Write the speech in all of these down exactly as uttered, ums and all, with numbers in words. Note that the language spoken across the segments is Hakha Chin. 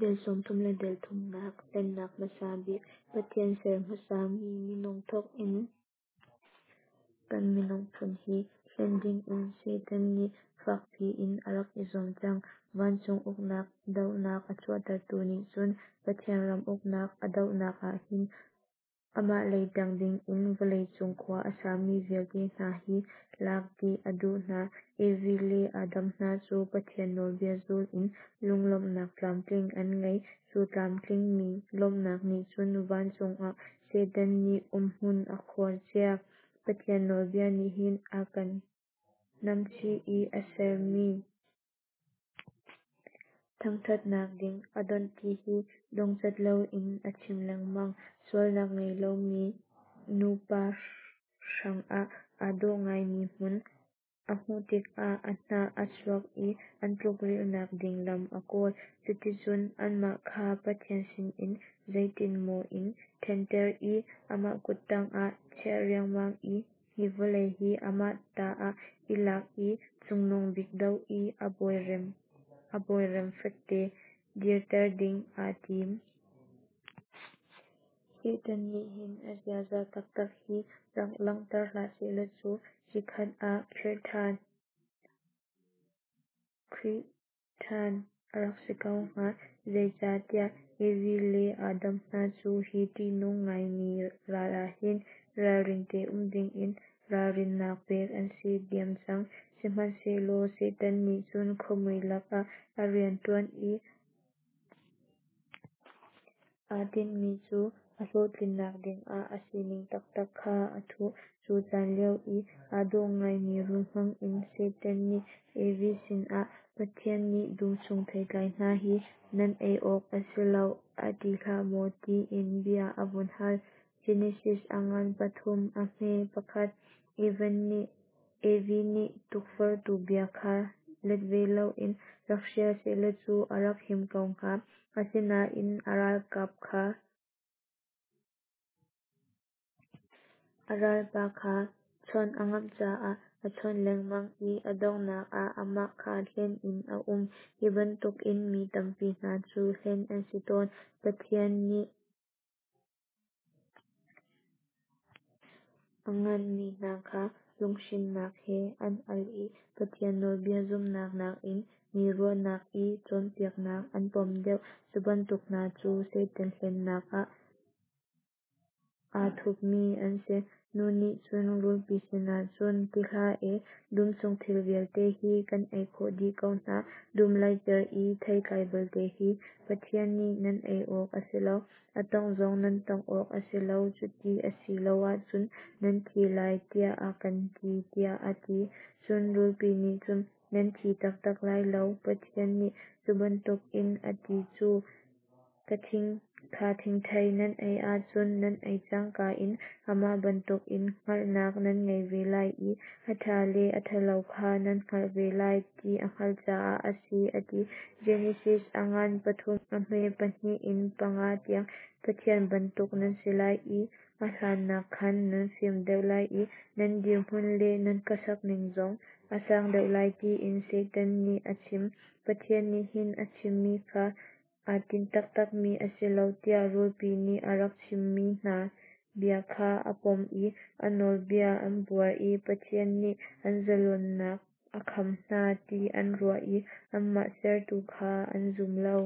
Dal sawmthum le dal thumnak Hlennak hmasa bik Pathian ser hmasa mi minung thawk in kan minung phun hi hlen dingin Satan nih fakpi in a rak i zuam cang. Vancung uknak dohnak a chuahtertu nih cun Pathian ram uknak a dohnak ah hin amah lei ṭang dingin vawleicung khua a sami vialte hna hi lak dih a duh hna. Evi le Adam hna cu Pathian nawlbia zul in lunglawmhnak tlamtling an ngei. Cu tlamtlingmi lawmhnak nih cun vancung ah Satan nih umhmun a khuar cia. Pathian nawlbia nih hin a kan namchih i a sermi thangṭhatnak ding a donh ti hi dongcat loin a chim lengmang. Sualnak ngei lomi nupa hrangah aa dawh ngaimi hmun a hmuh tikah a hnah a chuak i an tlukrilhnak ding lam a kawl. Cuticun anmah kha Pathian sinin zeitin maw in ṭhenter i amah kuttang ah chiah riangmang i hi vawlei hi amah ta ah i lak i Cungnung Bik doh i a bawirem a bawirem fekte dirter ding aa tim. Satan nih hin a ziaza taktak hi rak langhter hlah sehlaw cu chikkhat ah khirh ṭhan Khrih ṭhan a rak si ko hnga. Zeicahtiah Evi le Adam hna cu hi ṭihnung ngaimi ral ah hin ralring te um dingin ralrinnak pek an si diam cang. Sihmanhsehlaw Satan nih cun khuamui lakah a rianṭuan i aa tinhmi cu a hlawhtlinnak dingah a sining taktak kha a thuh. Cu caan lio i aa dawh ngaimi rul hmangin Satan nih Evi sinah, Pathian nih dum chung theitlai hna hi nan ei awk a si lo a ti hlah maw tiin bia a vun hal. Genesis a ngan pathum a hme pakhat. Evan nih Evi nih tukforhtu bia kha let ve loin rak hrial sehlaw cu a rak him ko hnga. Asinain a ralkap kha a ralpa kha chawnh a ngamh caah a chawnh lengmang i a donghnak ah amah kha hlen in a um. Hi bantukin mi tampi hna cu hlen an si tawn. Pathian nih a nganhmi hna kha lunghrinnak he an al i Pathian nawlbia zumhnak nakin mi ruahnak i cawnpiaknak an pom deuh. Cu bantuk hna cu Satan hlennak ah aa thupmi an si. Nu nih cun rulpi sinah cun, Ti hlah e, dum chung thil vialte hi kan ei khawh dih ko hna. Dum leicer i theitlai belte hi Pathian nih nan ei awk a si lo, a tawngh zong nan tawngh awk a si lo, cuti a si lo ahcun nan thi lai, tiah a kan ti, tiah a ti. Cun rulpi nih cun, Nan thi taktak lai lo. Pathian nih cu bantukin a ti cu kha thingthei nan ei ahcun nan ei cangka in amah bantukin hngalhnak nan ngei ve lai i a ṭha le a ṭhalo kha nan hngalh ve lai ti a hngalh caah a si, a ti. Genesis a ngan pathum a hme pahnih in panga tiang. Pathian bantuk nan si lai i a hlannak khan nan fim deuh lai i nan dirhmun le nan khuasakning zong a sang deuh lai tiin Satan nih a chim. Pathian nih hin a chimmi kha aa tinh taktakmi a si lo tiah rulpi nih a rak chimmi hna bia kha a pom i a nawlbia an buar i Pathian nih an zalonnak a kham hna ti an ruah i anmah sertu kha an zum lo.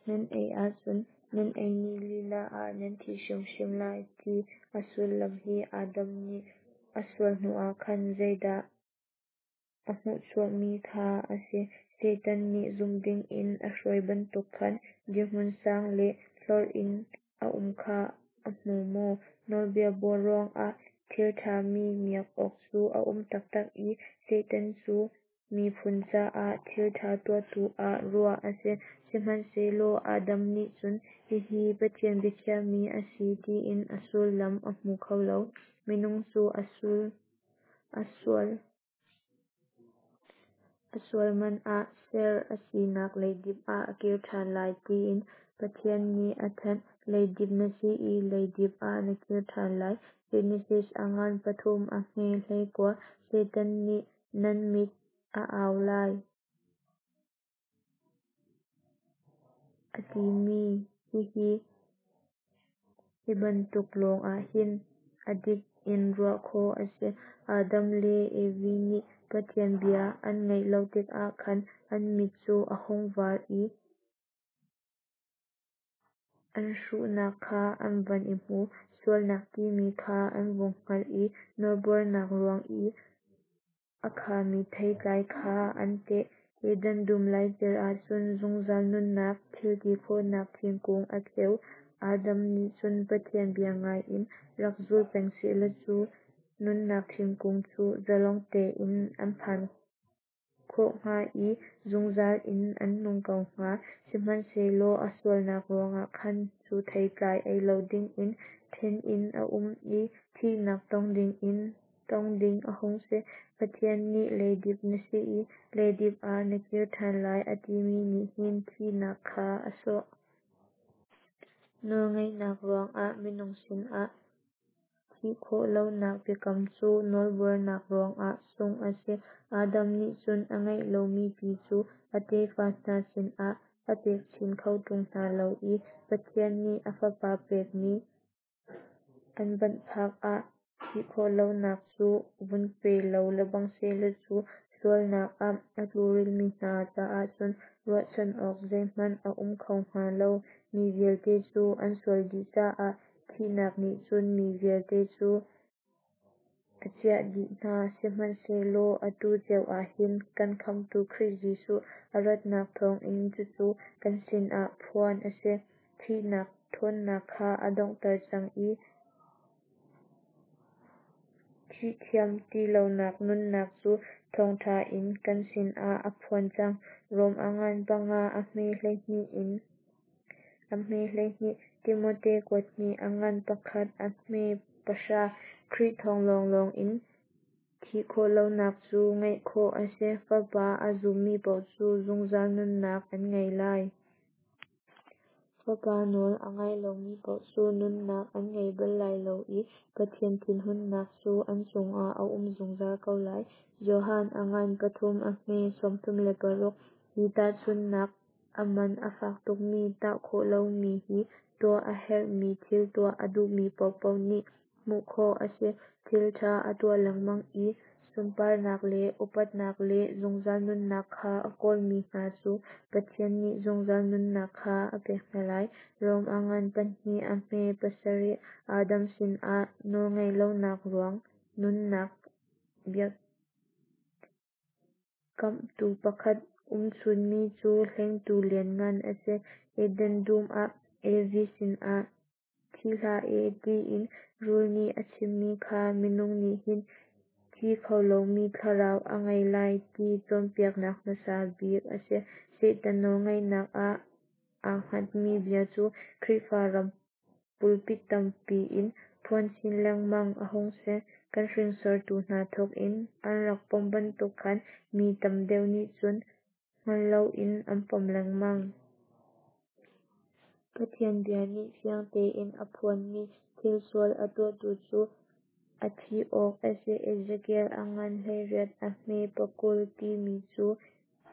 Nan ei ahcun nan ei ni lila ah nan thi hrimhrim lai ti a sullam hi Adam nih a sual hnuah khan zeidah a hmuhchuahmi kha a si. Satan nih zumh dingin a hruai bantuk khan dirhmun sang le hlorh in a um kha a hmu maw? Nawlbia buar ruangah thil ṭhami miak awk cu a um taktak i Satan cu miphun caah thil ṭha tuahtu ah ruah a si. Sihmanhsehlaw Adam nih cun hihi Pathian biakhiahmi a si tiin a sullam a hmu kho lo. Minung cu a sual a sual man ah ser a sinak leidip ah a kir ṭhan lai tiin Pathian nih a thanh. Leidip na si i leidip ah na kir ṭhan lai. Genesis a ngan pathum a hme hleikua. Satan nih nan mit a au lai. a timi Hihi hi bantuk lawng ahhin a dik in ruah khawh a si. Adam le Evi nih Pathian bia an ngaih lo tikah khan an mit cu a hung var i an hruhnak kha an van i hmu. Sualnak timi kha an vung hngalh i nawlbuarnak ruang i a khami theitlai kha an teh. Eden dum laicer ahcun zungzal nunnak thilti khawhnak thingkung a kheu. Adam nih cun Pathian bia ngai in rak zul peng sehlaw cu nunnak thingkung cu zalong tein an phan khawh hnga i zungzal in an nung ko hnga. Sihmanhsehlaw a sualnak ruangah khan cu theitlai ei lo dingin then in a um i thihnak tong dingin tong ding a hung si. Pathian nih leidip na si i leidip ah na kir ṭhan lai a timi nih hin thihnak kha a sawh. Nawlngaihnak ruangah minung sinah thih khawh lonak biakam cu nawlbuarnak ruangah sungh a si. Adam nih cun a ngeih lomi pi cu a tefa hna sinah a pek chin kho ṭung hna lo i Pathian nih a Fapa pekmi an banhphak ah thih khawh lonak cu vun pe lo lebang sehlaw cu sualnak ah a tlurilmi hna caah cun ruahchan awk zeihmanh a um kho hnga lo. Mi vialte cu an sual dih caah thihnak nih cun mi vialte cu a ciah dih hna. Sihmanhsehlaw atu cio ah hin kan Khamhtu Khrih Jesuh a ratnak thawngin cucu kan sinah phuan a si. Thihnak ṭhawnnak kha a donghter cang i thih thiam ti lonak nunnak cu thawngṭha in kan sinah a phuan cang. Rom a ngan panga a hme hleihnih in a hme hleihnih. Timote kuat hnih a ngan pakhat a hme pahra. Khrih thawng lawnglawng in thih khawh lonak cu ngeih khawh a si. Fapa a zummi paoh cu zungzal nunnak an ngei lai. Fapa nawl a ngai lomi paoh cu nunnak an ngei bal lai lo i Pathian thinhunnak cu an cungah a um zungzal ko lai. Johan a ngan pathum a hme sawmthum le paruk. Hi tahchunhnak a man a fak tukmi tah khawh lomi hi tuah a herhmi thil tuah a duhmi paohpaoh nih hmuh khawh a si. Thil ṭha a tuah lengmang i sunparnak le upatnak le zungzal nunnak kha a kawlmi hna cu Pathian nih zungzal nunnak kha a pek hna lai. Rom a ngan pahnih a hme pasarih. Adam sinah nawlngaihlonak ruang nunnak biakamhtu pakhat umchunmi cu hlengtu lianngan a si. Eden dum ah Evi sinah thi hlah e tiin rul nih a chimmi kha minung nih hin thi kho lomi thlarau a ngei lai ti cawnpiaknak hmasa bik a si. Satan nawlngeihnak ah aa hngatmi bia cu Khrihfa ram pulpit tampi in phuan chin lengmang a hung si. Kan hringsortu hna thawkin an rak pom bantuk khan mi tam deuh nih cun hngal loin an pom lengmang. Pathian bia nih fiang tein a phuanmi thil sual a tuahtu cu a thih awk a si Ezekiel a ngan hleiriat a hme pakul timi cu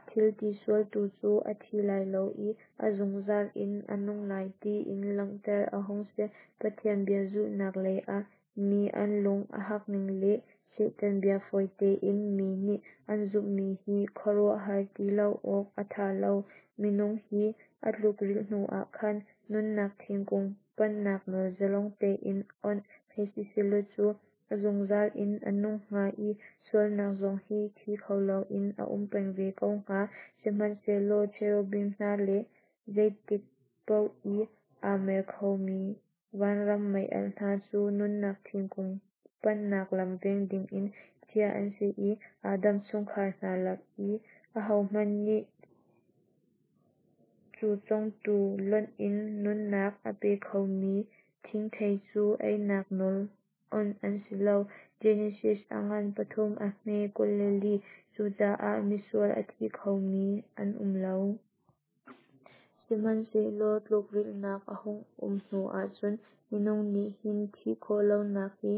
thil tisualtu cu a thi lai lo i a zungzal in a nung lai tiin langhter a hung si. Pathian bia zulhnak lei ah mi an lung a hakning le Satan bia fawi tein mi nih an zumhmi hi khuaruahhar ti lo awk a tha lo. Minung hi a tlukrilh hnuah khan nunnak thingkung panhnak nawl zalong tein awnh hei si sehlaw cu a zungzal in a nung hnga i sualnak zong hi thi kho loin a um peng ve ko hnga. Sihmanhsehlaw cherubim hna le zeitik paoh i aa mer khomi vanram mei-alh hna cu nunnak thingkung panhnak lam veng dingin chiah an si i Adam chungkhar hna lak i ahohmanh nih cu congtu lonh in nunnak a pe khomi thingthei cu einak nawl awnh an si lo. Genesis a ngan pathum a hme kul le li. Cucaah misual a thi khomi an um lo. Sihmanhsehlaw tlukrilhnak a hung um hnuah cun minung nih hin thih khawh lonak hi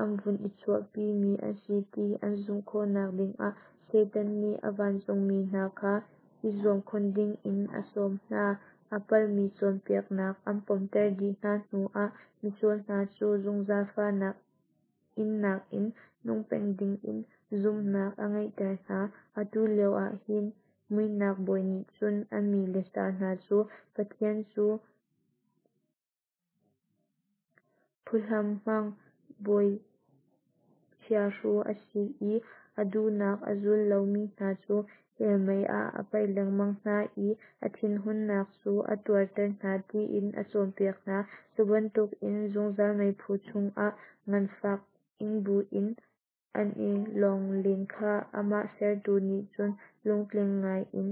an vun i chuahpimi a si ti an zumh khawhnak dingah Satan nih a vancungmi hna kha i zuam khun dingin a sawm hna. a palhmi cawnpiaknak an pomter dih hna hnuah misual hna cu zungzal fahnak innak in nung peng dingin zumhnak a ngeihter hna. Atu lioah hin muihnak bawi nih cun a mi le sa hna cu Pathian cu phuhlam hmang bawi chiahru a si i a duhnak a zul lomi hna cu hell mei ah a paih lengmang hna i a thinhunnak cu a tuarter hna tiin a cawnpiak hna. Cu bantukin zungzal meiphu chungah nganfak ing buin an i lawng len kha amah sertu nih cun lungtling ngaiin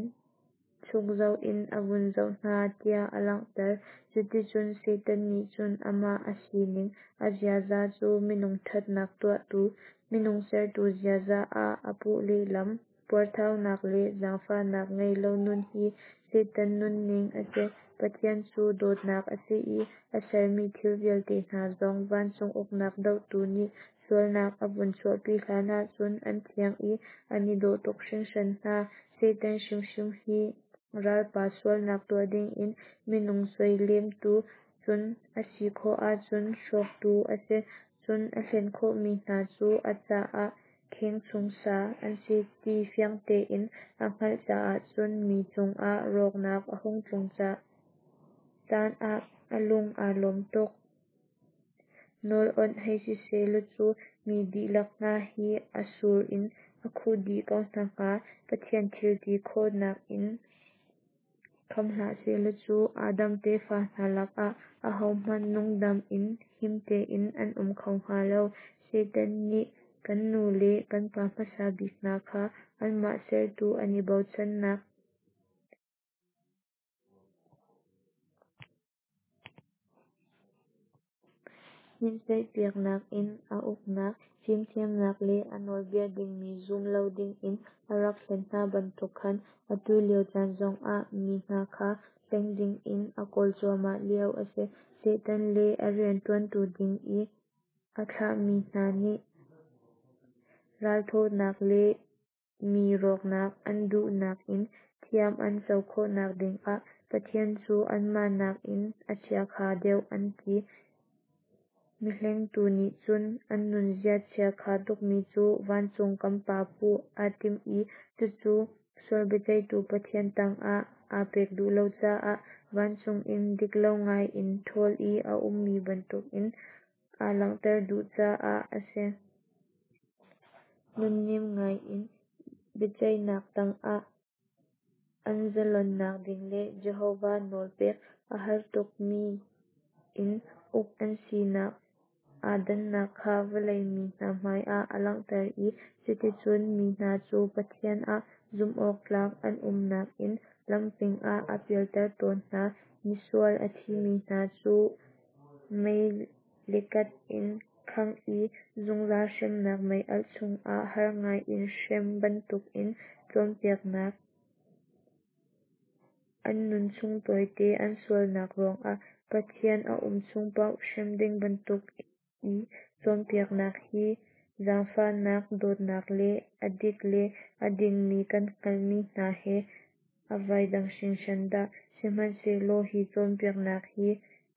chuk zoh in a vun zoh hna tiah a langhter. Cuticun Satan nih cun amah a sining, a ziaza cu minung thatnak tuahtu, minung sertu ziaza ah a puh lehlam. Puarthaunak le zaangfahnak ngei lo nun hi Satan nunning a si. Pathian cu dawtnak a si i a sermi thil vialte hna zong vancung uknak dohtu nih sualnak a vun chuahpi hlanah cun an thiang i an i dawh tuk hringhran hna. Satan hrimhrim hi ralpa, sualnak tuah dingin minung suailemtu, cun a si khawh ahcun hrawktu a si. Cun a hlen khawhmi hna cu a caah kheng chung sa an si ti fiang tein a hngalh caah cun mi cungah rawknak a hung tlung caan ah a lung aa lawm tuk. Nawl awnh hei si sehlaw cu mi dihlak hna hi a sur in a khuh dih ko hna hnga. Pathian thil ti khawhnak in kham hlah sehlaw cu Adam tefa hna lakah ahohmanh nungdam in him tein an um kho hnga lo. Satan nih kan nu le kan pa hmasa bik hna kha anmah sertu an i bochannak hnitsaihpiaknak in a uknak, fimthiamnak le a nawlbia dingmi zum lo dingin a rak hlen hna bantuk khan atu lio caan zongah mi hna kha hleng dingin a kawl cuahmah lio a si. Satan le a riantuantu ding i a thlahmi hna nih ralthawhnak le mi rawknak an duhnak in thiam an co khawhnak dingah Pathian cu anmah nakin a chiakha deuh an ti. Mihlengtu nih cun an nunzia chiakha tukmi cu vancung kan Pa puh aa tim i cucu sual biaceihtu Pathian tangah aa pek duh lo caah vancung in dik lo ngaiin ṭhawl i a ummi bantukin aa langhter duh caah a si. Nunnem ngaiin biaceihnak tangah an zalonnak ding le Jehovah nawl pek a har tukmi in uk an sinak aa dannak kha vawlei mi hna hmaiah a langhter i cuticun mi hna cu Pathian ah zumhawktlak an umnak in lamping ah a pialter tawn hna. Misual a thimi hna cu mei le kat in khangh i zungzal hremnak meialh chungah har ngaiin hrem bantukin cawnpiaknak, an nunchung tawite an sualnak ruangah Pathian a um chung paoh hrem ding bantuk i cawnpiaknak hi zaangfahnak, dawtnak le a dik le a dingmi kan hngalhmi hna he a vai dang hringhran dah! Sihmanhsehlaw hi cawnpiaknak hi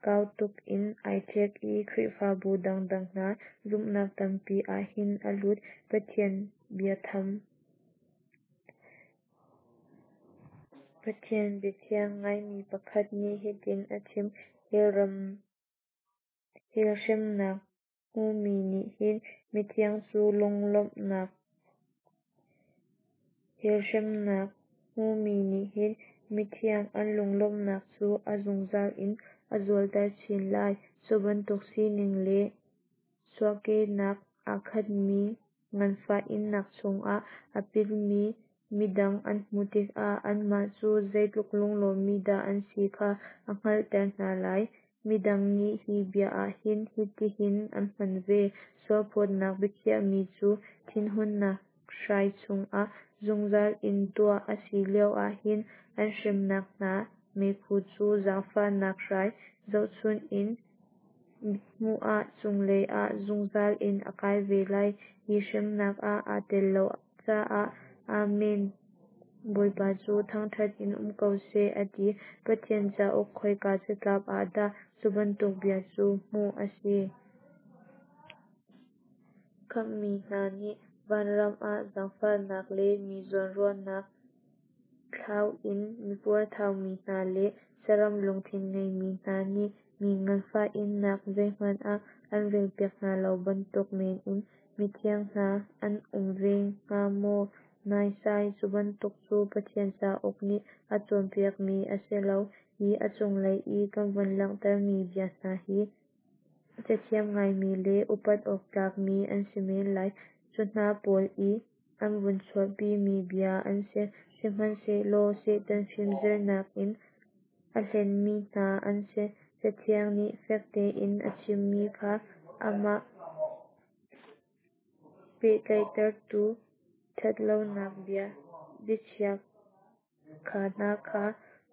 kau tuk in ai ṭhek i Khrihfabu dangdang hna zumhnak tampi ah hin a lut. Pathian biatham Pathian biathiang ngaimi pakhat nih hitin a chim: Hell hremnak hmumi nih hin mithiang cu lunglawmhnak Hell hremnak hmumi nih hin mithiang an lunglawmhnak cu a zungzal in a zualter chin lai. Cu bantuk sining le chuahkehnak aa khatmi nganfah innak chungah a pilmi midang an hmuh tikah anmah cu zeitluk lunglawmmi dah an si kha a hngalhter hna lai. Midang nih hi bia ah hin hitihin an hman ve: Sualphawtnak biakhiahmi cu thinhunnak hrai chungah zungzal in tuah a si lioah hin an hremnak hna meiphu cu zaangfahnak hrai zohchun in mithmuh ah cunglei ah zungzal in a kai ve lai. Hi hremnak ah aa tel lo caah Amen. Bawipa cu thangṭhat in um ko seh, a ti. Pathian cauk khoika catlap ah dah cu bantuk bia cu hmuh a si? Khamhmi hna nih vanram ah zaangfahnak le mi zawnruahnak thlau in mipuarthau mi hna le saram lungthin ngeimi hna nih mi nganfah innak zeihmanh ah an relpiak hna lo bantuk men in mithiang hna an um ve hnga maw? Naisai! Cubantuk cu Pathian cauk nih a cawnpiakmi a si lo. Hi a cunglei i kan vun langhtermi bia hna hi cathiam ngaimi le upat awk tlakmi an si men lai. Cu hna pawl i an vun chuahpimi bia an si. Sihmanhsehlaw Satan fimzirnak in a hlenmi hna an si. Cathiang nih fek tein a chimmi kha amah pehtlaihtertu ṭhatlonak bia biachiakha hna kha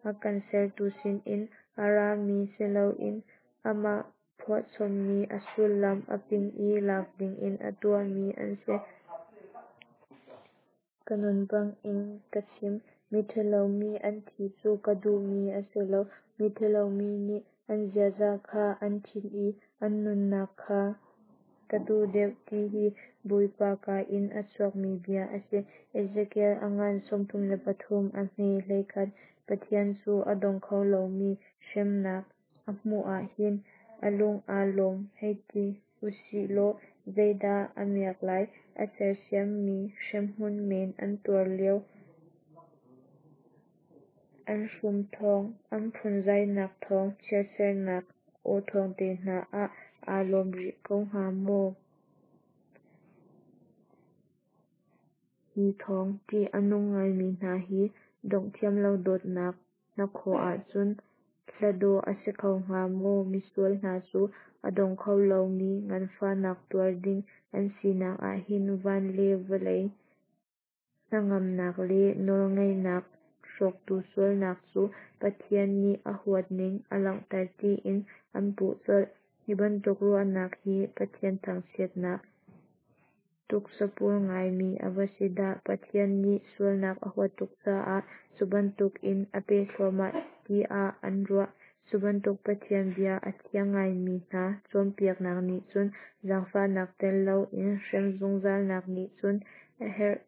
a kan sertu sinin a rami si loin amah phuahchommi a sullam a ping i lak dingin a tuahmi an si. Ka nun bangin ka chim, miṭhalo mi an thih cu ka duhmi a si lo, miṭhalo mi nih an ziaza kha an ṭhit i an nunnak kha ka duh deuh, ti hi Bawipa kaa in a chuakmi bia a si. Ezekiel a ngan sawmthum le pathum a hme hleikhat. Pathian cu a dong kho lomi hremnak a hmuh ah hin a lung aa lawm hei ti u sih law zeidah a miak lai? A sersiammi hremhmun men an tuar lio an hrum thawng, an phunzainak thawng, chiatsernak aw thawng te hna ah aa lawm rih ko hnga maw? Hi thawng ṭih a nung ngaimi hna hi dongh thiam lo dawtnak hnakhaw ahcun hla dawh a si kho hnga maw? Misual hna cu a dong kho lomi nganfahnak tuar ding an sinak ah hin van le vawlei hnangamnak le nawlngeihnak hrawktu sualnak cu Pathian nih a huatning a langhter tiin an puh colh. Hi bantuk ruahnak hi Pathian thangchiatnak tuksapur ngaimi a va si dah! Pathian nih sualnak a huat tuk caah cu bantukin a pek thluahmah tiah an ruah. Cu bantuk Pathian bia a thiam ngaimi hna cawnpiaknak nih cun zaangfahnak tel loin hrem zungzalnak nih cun a herh.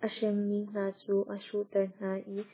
A hremmi hna cu a hruhter hna i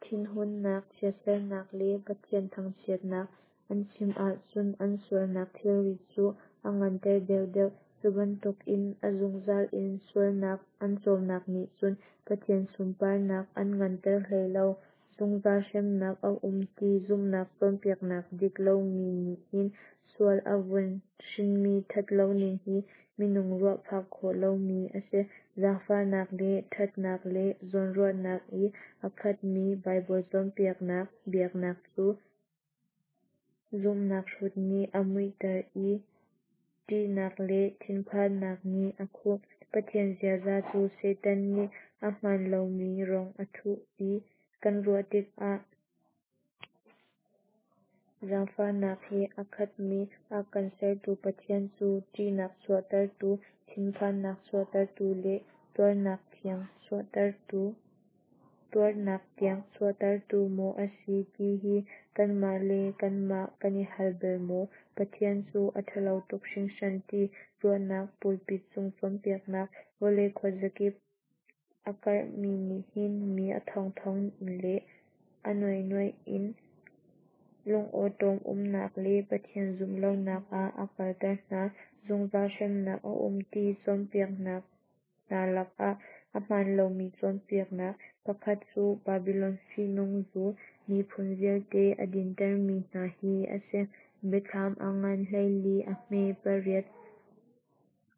thinhunnak, chiatsernak le Pathian thangchiatnak an chim ahcun an sualnak thilrit cu a nganter deuhdeuh. Cu bantukin a zungzal in sualnak an cawmnak nih cun Pathian sunparnak an nganter hlei lo. Zungzal hremnak a um ti zumhnak cawnpiaknak dik lomi nih hin sual a vun hrinmi ṭhat loning hi minung ruah phak khawh lomi a si. Zaangfahnak le ṭhatnak le zawnruahnak i a khatmi Baibal cawnpiaknak biaknak cu zumhnak hrut nih a muihter i ṭihnak le thinphannak nih a khuh. Pathian ziaza cu Satan nih a hmaan lomi rong a thuh ti kan ruah tikah zaangfahnak he a khatmi a kan sertu Pathian cu ṭihnak chuahtertu, thinphannak chuahtertu le tuarnak tiang chuahtertu tuarnak tiang chuahtertu maw a si ti hi kanmah le kanmah kan i hal bal maw? Pathian cu a ṭhalo tuk hringhran ti ruahnak pulpit cung cawnpiaknak vawlei khuazakip a karhmi nih hin mi a thongthong le a nuainuai in lungawṭawm umnak le Pathian zumh lonak ah a kalter hna. Zungzal hremnak a um ti cawnpiaknak hna lakah a hmaan lomi cawnpiaknak pakhat cu Babilon fihnung zu, miphun vialte a dintermi hna hi a si. Biathlam a ngan hleili a hme pariat.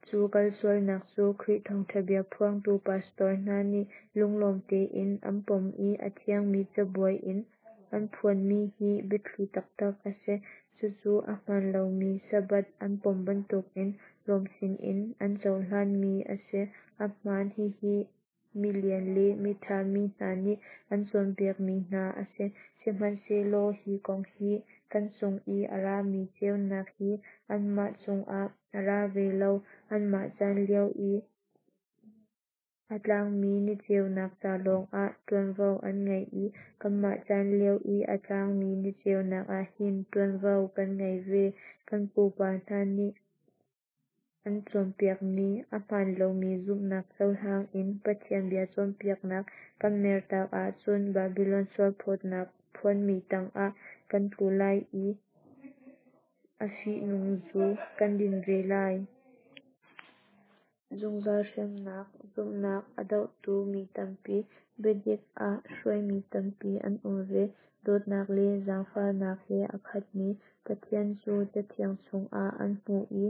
Cu kalsualnak cu Khrih thawngṭha bia phuangtu pastor hna nih lunglawm tein an pom i a thiangmi cabuai in an phuanmi hi biathli taktak a si. Cucu a hmaan lomi Sabbath an pom bantukin Rom sinin an cohlanmi a si. A hmaan, hihi milian le miṭha mi hna nih an cawnpiakmi hna a si. Sihmanhsehlaw hi kong hi Kan cung i a rami ceunak hi anmah cungah a ra ve lo. Anmah caan lio i a tlangmi niceunak ca lawngah ṭuanvo an ngei i kanmah caan lio i a tlangmi niceunak ah hin ṭuanvo kan ngei ve. Kan pupa hna nih an cawnpiakmi ahmaan lomi zumhnak cohlang in Pathian bia cawnpiaknak kan mertak ahcun Babilon sualphawtnak phuanmi tangah kan tlu lai i a fihnung zu kan din ve lai. Zungzal hremnak zumhnak a dohtu mi tampi, biadik ah hruaimi tampi an um ve. Dawtnak le zaangfahnak he a khatmi Pathian cu Cathiang chungah an hmuh i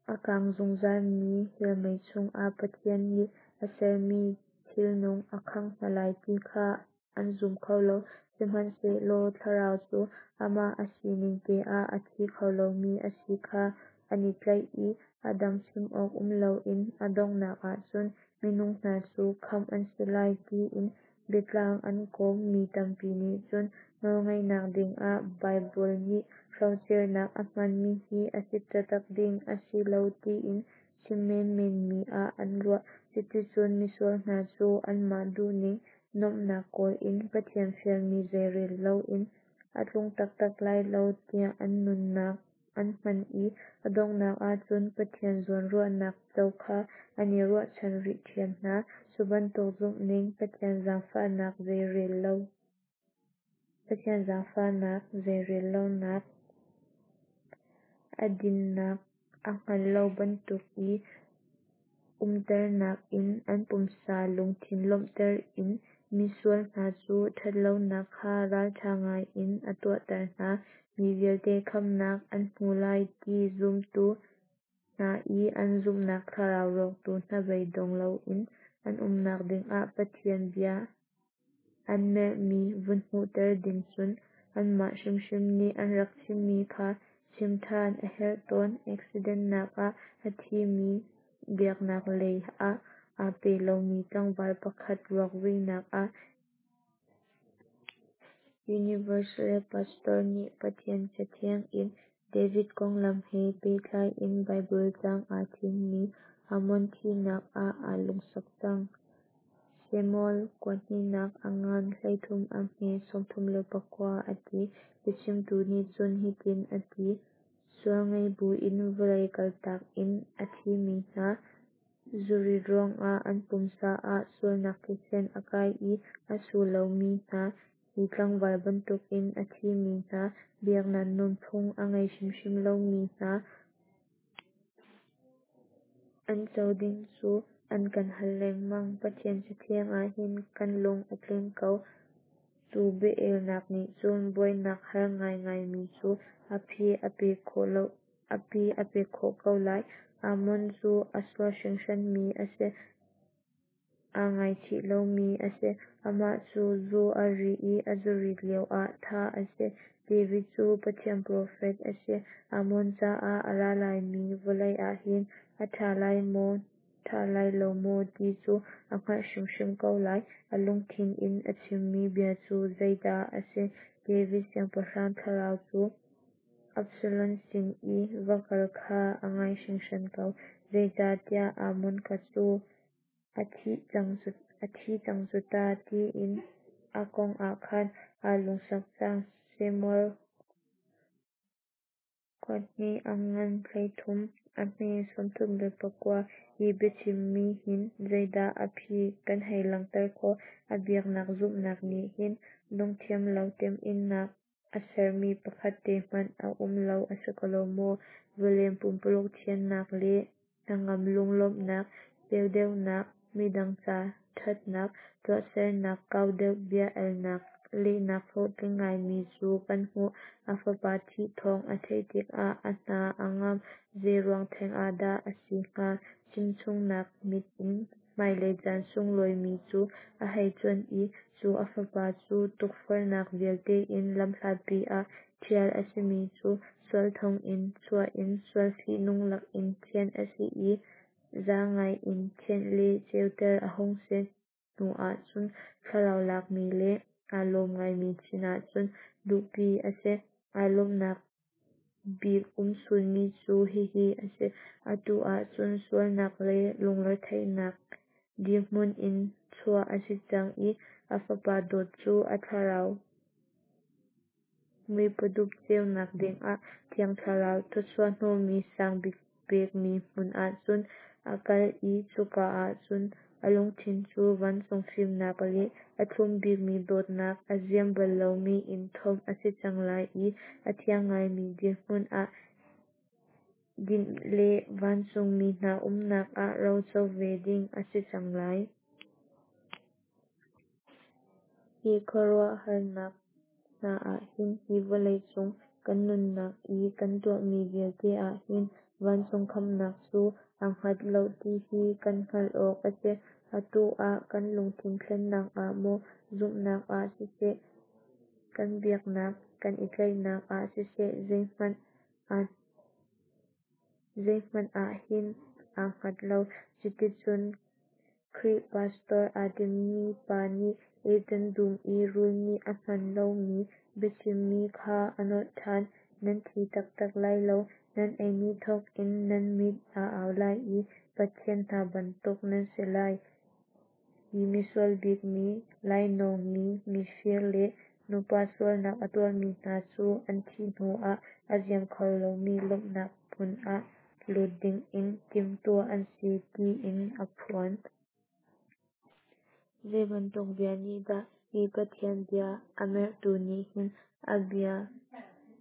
a kang zungzalmi hell mei chungah Pathian nih a sermi thilnung a khangh hna lai ti kha an zum kho lo. Sihmanhsehlaw thlarau cu amah a sining teah a thi kho lomi a si kha an i tlaih i a dang chim awk um loin a donghnak ahcun minung hna cu khamh an si lai tiin biatlang an kawm. Mi tampi nih cun nawlngaihnak dingah Baibal nih hrocernak a hmanmi hi a si taktak ding a si lo tiin chim menmen mi ah an ruah. Cuticun misual hna cu anmah duhning nuamhnak kawl in Pathian fialmi zeirel loin a tlung taktak lai lo tiah an nunnak an hman i a donghnak ahcun Pathian zawnruahnak co kha an i ruahchan rih ṭhiam hna. Cu bantuk zumhning Pathian zaangfahnak zeirel lo Pathian zaangfahnak zeirel lonak, a dinnak a hngal lo bantuk i umternak in an pumsa lungthin lawmhter in misual hna cu ṭhatlonak kha ralṭha ngaiin a tuahter hna. Mi vialte khamhnak an hmu lai ti zumtu hna i an zumhnak thlarau rawktu hnabeidong loin an umnak dingah Pathian bia an merhmi vun hmuhter ding cun anmah hrimhrim nih an rak chimmi kha chim ṭhan a herh tawn. Accident-nak ah a thimi biaknak lei ah aa pe lomi tlangval pakhat ruak vuinak ah Universal Pastor nih Pathian Cathiang in David konglam he pehtlai in Baibal caang aa thimmi Amnon thihnak ah aa lungsak cang. Samuel kuahnihnak a ngan hleithum a hme sawmthum le pakua a ti. Biachimtu nih cun hitin a ti: Sual ngei buin vawlei kaltak in a thimi hna, zurit ruangah an pumsa ah sualnak thisen a kai i a su lomi hna, hi tlangval bantukin a thimi hna, biaknak nunphung a ngei hrimhrim lomi hna, an co ding cu an kan hal lengmang. Pathian Cathiang ah hin kan lung a tling ko. Cu bia-elnak nih cun buainak har ngaingaimi cu a phi a pek khawh lo a phi a pek khawh ko lai. Amnon cu a sual hringhranmi a si. Aa ngaichih lomi a si. Amah cu zu a ri i a zurit lioah thah a si. David cu Pathian profet a si. Amnon caah a ra laimi vawlei ah hin a ṭha lai maw ṭha lai lo maw ti cu a hngalh hrimhrim ko lai. A lungthin in a chimmi bia cu zeidah a si? David siangpahrang thlarau cu Absalom sin i va kal kha a ngai hringhran ko, zeicahtiah Amnon kha cu a thi cang cu, a thi cang cu ta tiin a kong ah khan aa lungsak cang. Samuel kuahnih a ngan hleithum, a hme sawmthum le pakua. Hi biachimmi hin zeidah a phi kan hei langhter khawh? A biaknak zumhnak nih hin lungthiamlo teminnak a sermi pakhat te hmanh a um lo a si ko lo maw? Vawlei pumpululuk thiannak le hnangam lunglawmhnak, ceu deuhnak, midang ca ṭhatnak tuahsernak, kau deuh bia elnak lehnak hlawhtling ngaimi cu kan hmuh. A fapa thih thawng a theih tikah a hna a ngam. Zeiruang theng ah dah a si hnga? Chimchungnak mit in hmailei caan sunglawimi cu a hei cuanh i cu a fapa cu tukforhnak vialte in lamhlatpi ah ṭhial a simi cu sual thonginn chuah in sual fihnung lakin thianh a si i za ngai in thianh le ceuter a hung si hnu ahcun thlarau lakmi le aa lawm ngaimi sinah cun luhpi a si. Aa lawmhnak bik umchunmi cu hihi a si: Atu ahcun sualnak le lungretheihnak dirhmun in chuah a si cang i a fapa dawt cu a thlarau muipadup ceunak dingah Thiang Thlarau thawchuah hnawhmi sangbik pekmi hmun ahcun a kal i cuka ahcun a lungthin cu vancung fimnak le a thlumbikmi dawtnak a ziam ballomi in thawmh a si cang lai i a thiang ngaimi dirhmun ah dinh le vancung mi hna umnak ah roco ve ding a si cang lai. Hi khuaruahharnak hna ahhin hi vawlei cung kan nunnak i kan tuahmi vialte ahhin vancung khamhnak cu aa hngat loh ti hi kan hngalh awk a si. Atu ah kan lungthin thlennak ah maw, zumhnak ah siseh, kan biaknak kan i tlaihnak ah siseh zeihmanh ahhin aa hngat lo. Cuticun Khrih pastor aa timi pa nih Eden dum i rul nih a hman lomi biachimmi kha a nolh ṭhan: Nan thi taktak lai lo, nan ei ni thawkin nan mit aa au lai i pathian hna bantuk nan si lai. Hi misual bikmi, lainawngmi, mifir le nupa sualnak a tuahmi hna cu an thih hnuah a ziam kho lomi lawmhnak hmun ah lut dingin timhtuah an si tiin a phuan. Zeibantuk bia nih dah hi Pathian bia a merhtu nih hin a bia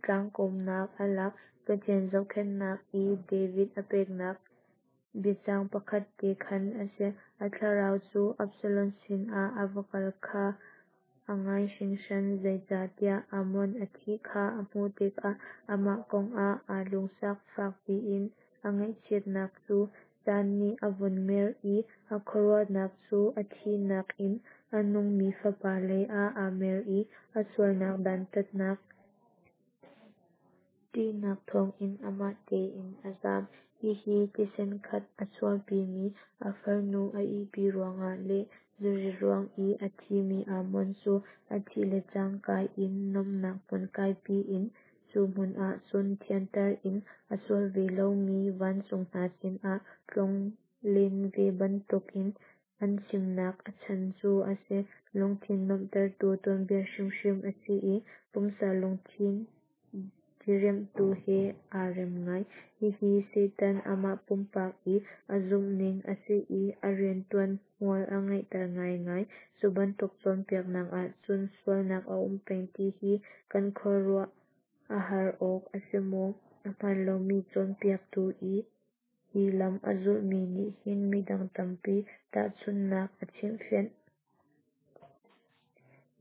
tlangkawmnak a lak? Pathian zohkhenhnak i David a peknak biacang pakhat te khan a si. A thlarau cu Absalom sinah a va kal kha a ngai hringhran, zeicahtiah Amnon a thih kha a hmuh tikah amah kong ah aa lungsak. Fak piin a ngaihchiatnak cu caan nih a vun mer i a khuaruahnak cu a thihnak in a nungmi fapa leiah aa mer i a sualnak dantatnak ṭihnak thawngin amah tein a zam. Hihi thisen khat a chuahpimi a farnu a ihpi ruangah le zuri ruang i a thimi Amnon cu a thih le cangka in nuamhnak hmun kaipi in cu hmun ah cun thianter in a sual ve lomi vancung hna sinah tlonlen ve bantukin an chimnak a chan cu a si. Lungthin nuamhtertu tuanbia hrimhrim a si i pumsa lungthin diriamhtu he aa rem ngai. Hihi Satan amah pumpak i a zumhning a si i a rianṭuan hmual a ngeihter ngaingai. Cu bantuk cawnpiaknak ahcun sualnak a um peng ti hi kan khuaruah a har awk a si maw? A hmaan lomi cawnpiaktu i hi lam a zulhmi nih hin midang tampi tahchunhnak a chimhfianh.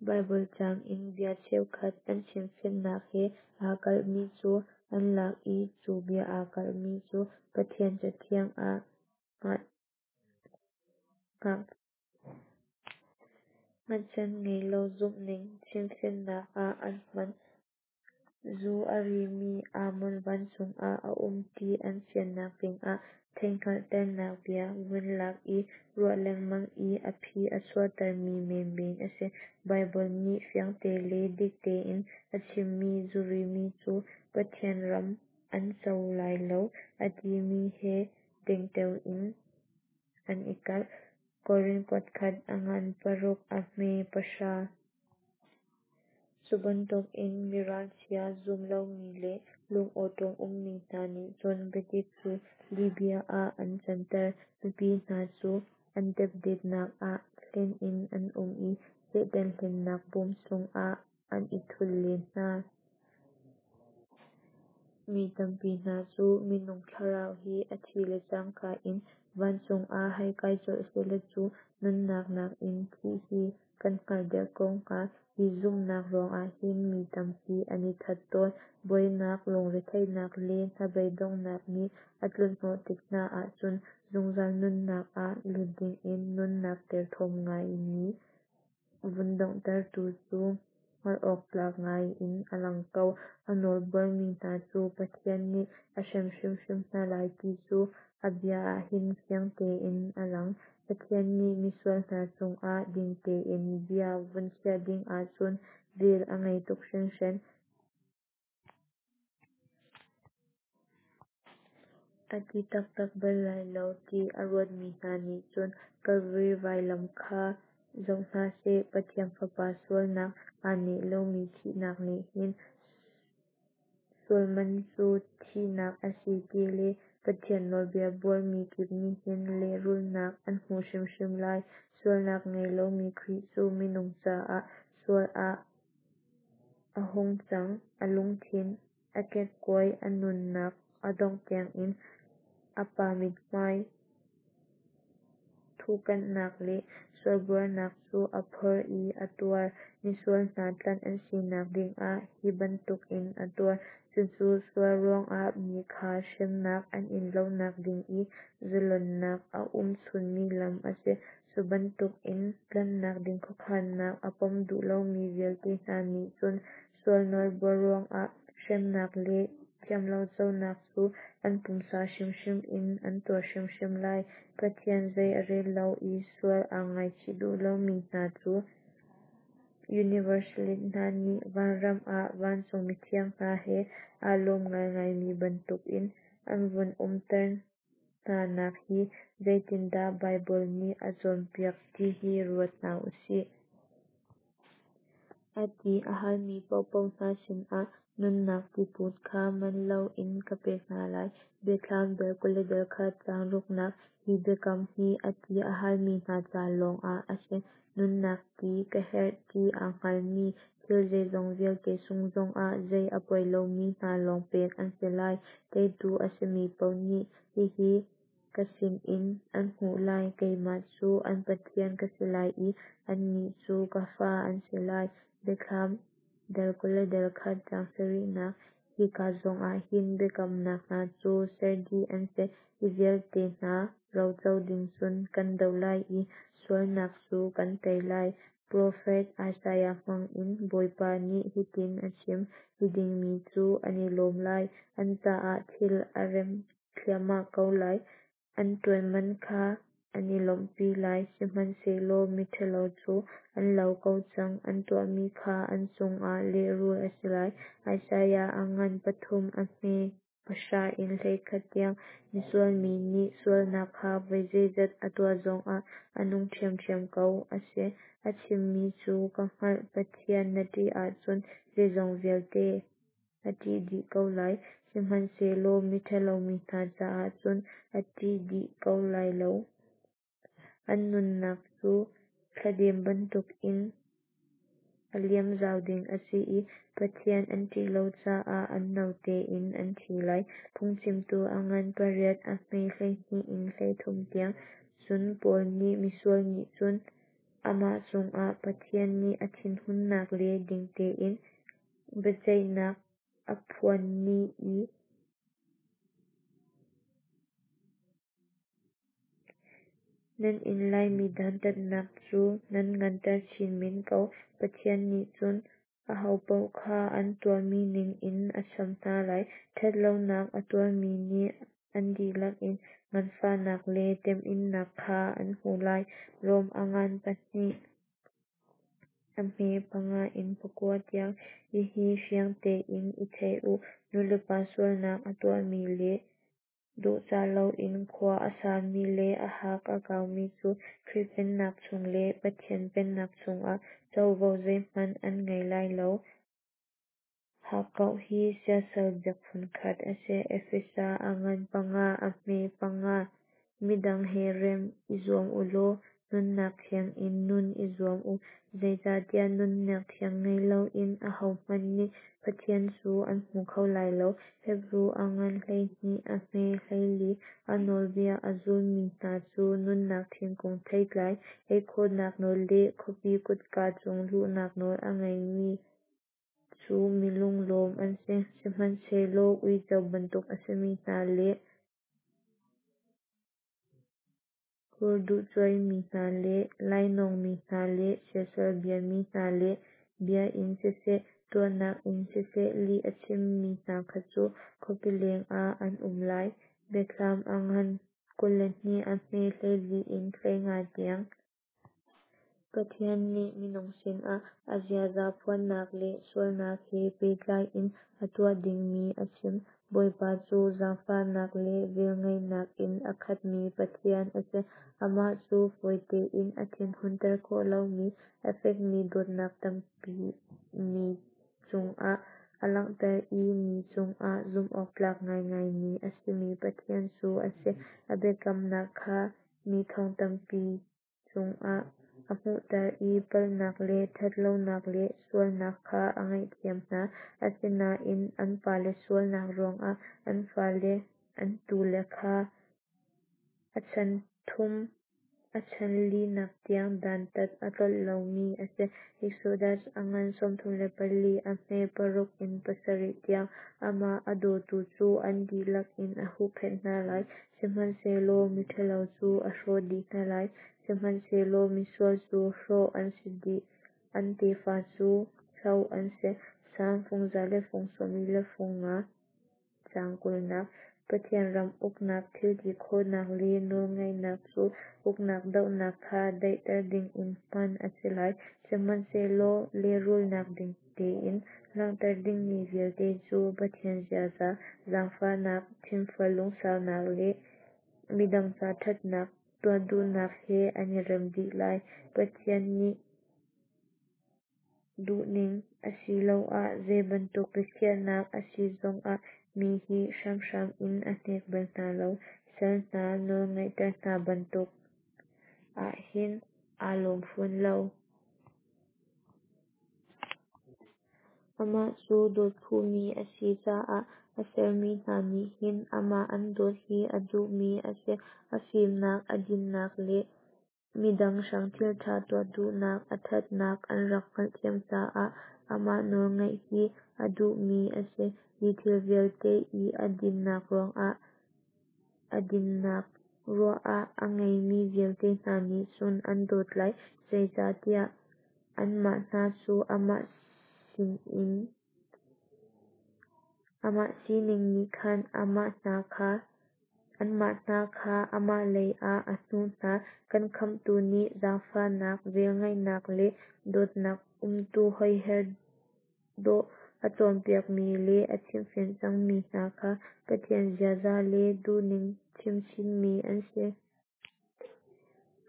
Baibal caang in bia cheukhat an chimfianhnak he aa kalhmi cu an lak i cu bia aa kalhmi cu Pathian Cathiang ah hngatchan ngei lo zumhning chimfianhnak ah an hman. Zu a rimi Amnon vancung ah a um ti an fiannak dingah theihhngalhternak bia vun lak i ruah lengmang i a phi a chuahtermi menmen a si. Baibal nih fiangte le dik tein a chimmi zurimi cu Pathian ram an co lai lo a timi he dengteo in an i kalh. Korin kuatkhat a ngan paruk a hme pahra. Cu bantukin mi ralchia, zum lomi le lungawṭawm ummi hna nih cun biadik cu lihbia ah an canter. Mipi hna cu an depdetnak ah hlen in an um i Satan hlennak bawm chungah an i thul len hna. Mi tampi hna cu minung thlarau hi a thih le cangka in vancung ah hei kai colh sehlaw cu nunnak nakin thih hi kan hngalh deuh ko hnga. Hi zumhnak ruangah hin mi tampi an i that tawn. Buainak, lungretheihnak le hnabeidonghnak nih a tlunhnawh tik hna ahcun zungzal nunnak ah lut dingin nunnak derthawm ngaimi vun donghtertu cu hngalh awktlak ngai in a lang ko. A nawl buarmi hna cu Pathian nih a hrem hrimhrim hna lai ti cu a bia ah hin fiang tein a lang. Pathian nih misual hna cungah ding tein bia vun khiah ding ahcun vel a ngei tuk hringhran. A ti taktak bal lai lo ti a ruatmi hna nih cun Kalvari vailam kha zoh hna seh. Pathian Fapa sualnak aa neih lomi thihnak nih hin sualman cu thihnak a si ti le Pathian nawlbia buarmi kip nih hin lehrulhnak an hmuh hrimhrim lai. Sualnak ngei lomi Khrih cu minung caah sual ah a hung cang. A lungthin a kekkuai, a nunnak a dongh tiangin a Pa mithmai thuhkanhnak le sualbuarnak cu a phorh i a tuar. Misual hna tlanh an sinak dingah hi bantukin a tuar. Cucu sual ruangah mi kha hremnak an in lonak ding i zalonnak a um chunmi lam a si. Cu bantukin tlanhnak ding khuakhannak a pom duh lomi vialte hna nih cun sual nawlbuar ruangah hremnak le thiamloconak cu an pumsa hrimhrim in an tuar hrimhrim lai. Pathian zei a rel lo i sual aa ngaichih duh lomi hna cu Universalist hna nih vanram ah vancung mithiang hna he aa lawm ngaingaimi bantukin an vun umter hnanak hi zeitindah Baibal nih a cawnpiak ti hi ruat hna u sih. A ti a halmi paohpaoh hna sinah nunnak tiput kha man loin ka pek hna lai. Biathlam dal kul le dal khat caang ruknak. Hi biakam hi a ti a halmi hna ca lawng ah a si. Nunnak ti ka herh ti aa hngalmi, thil zeizong vialte sungh zongah zei a poi lomi hna lawng pek an si lai. Teitu a simi paoh nih hihi ka sinin an hmuh lai: Keimah cu an Pathian ka si lai i annih cu ka fa an si lai. Biathlam dal kul le dal khat caang sarihnak. Hika zongah hin biakamnak hna cu ser dih an si. Hi vialte hna roco ding cun kan doh lai i sualnak cu kan tei lai. Profet Isaiah hmangin Bawipa nih hitin a chim: Miding mi cu an i lawm lai, an caah thil a rem thliahmah ko lai, an ṭuan man kha an i lawmhpi lai. Sihmanhsehlaw miṭhalo cu an lo ko cang, an tuahmi kha an cungah lehrulh a si lai. Isaiah a ngan pathum a hme pahra in hleikhat tiang. Misual mi nih sualnak kha voi zeizat a tuah zongah a nung ṭhiamṭhiam ko. A si, a chimmi cu ka hngalh. Pathian na ṭih ahcun zeizong vialte a ṭih dih ko lai, sihmanhsehlaw miṭhalo mi hna caah cun a ṭih dih ko lai lo. An nunnak cu thladem bantukin a liam zau ding a si i Pathian an ṭih lo caah an no tein an thi lai. Phungchimtu a ngan pariat a hme hleihnih in hleithum tiang. Cun Paul nih misual nih cun amah cungah Pathian nih a thinhunnak le ding tein biaceihnak a phuan ni i nan in laimi dantatnak cu nan nganter chin men ko. Pathian nih cun ahopaoh kha an tuahmi ningin a cham hna lai. Ṭhatlonak a tuahmi nih an dihlak in nganfahnak le temhinnak kha an hmuh lai. Rom a ngan pahnih a hme panga in pakua tiang. Hihi fiang tein i thei u, nulepa sualnak a tuahmi le dawhcah loin khua a sami le a hak a kaumi cu Khrih Pennak chung le Pathian Pennak chungah covo zeihmanh an ngei lai lo. Hakkauh hi siasal biak phunkhat a si. Efesa a ngan panga a hme panga. Midang he rem i zuam u law nunnak thiang in nun i zuam u, zeicahtiah nunnak thiang ngei loin ahohmanh nih Pathian cu an hmu kho lai lo. Hebru a ngan hleihnih a hme hleili. A nawlbia a zulmi hna cu nunnak thingkung theitlai ei khawhnak nawl le khuapi kutka chung luhnak nawl a ngeimi cu mi lunglawm an si. Sihmanhsehlaw uico bantuk a simi hna le hurduhcuaimi hna le lainawngmi hna le siasal biami hna le bia in siseh, tuahnak in siseh lih a chimmi hna kha cu khuapi lengah an um lai. Biathlam a ngan kul le hnih a hme hleili in hleinga tiang. Pathian nih minung sinah a ziaza phuannak le sualnak he pehtlai in a tuah dingmi a chim. Bawipa cu zaangfahnak le velngeihnak in a khatmi Pathian a si, Amah cu fawi tein a thin hunter khawh lomi, a fekmi dawtnak tampi mi cungah a langhter i mi cungah zumhawktlak ngaingaimi a simi Pathian cu a si. A biakamnak kha mi thong tampi cungah a hmunhter i palhnak le ṭhat lonak le sualnak kha a ngaihthiam hna. Asinain an pale sualnak ruangah an fale an tule kha a chan thum a chan linak tiang dantat a tlolh lomi a si. Exodus a ngan sawmthum le pali, a hme paruk in pasarih tiang. Amah a dawtu cu an dihlak in a huhphenh hna lai, Sihmanhsehlaw miṭhalo cu a hrawh dih hna lai. Sihmanhsehlaw misual cu hrawh an si dih, an tefa cu hloh an si. Salm fung za le fung sawm li le fung nga, caang kulnak. Pathian ram uknak, thilti khawhnak le nawlngeihnak cu uknak dohnak kha daihter dingin hman a si lai. Sihmanhsehlaw lehrulnak ding tein langhter dingmi vialte cu Pathian ziaza, zaangfahnak, thinfual lungsaunak le midang ca ṭhatnak tuah duhnak he an i rem dih lai. Pathian nih duhning asiloah zeibantuk biakhiahnak a si zongah mi hi hramhram in a hnek bal hna lo. Sal hna nawlngeihter hna bantuk ahhin aa lawm fawn lo. Amah cu dawt phumi a si caah a sermi hna nih hin amah an dawt hi a duhmi a si. A fimnak, a dinnak le midang hrang thilṭha tuah duhnak a ṭhatnak an rak hngalhthiam caah amah nawlngaih hi a duhmi a si. Hi thil vialte i a dinnak ruangah a dinnak ruah ah a ngeimi vialte hna nih cun an dawt lai, zeicahtiah anmah hna cu amah sinin amah sining nih khan amah hna kha anmah hna kha amah lei ah a hnuh hna. Kan Khamhtu nih zaangfahnak, velngeihnak le dawtnak umtu hoiher dawh a cawnpiakmi le a chimhfianh cangmi hna kha Pathian ziaza le duhning chimchinmi an si.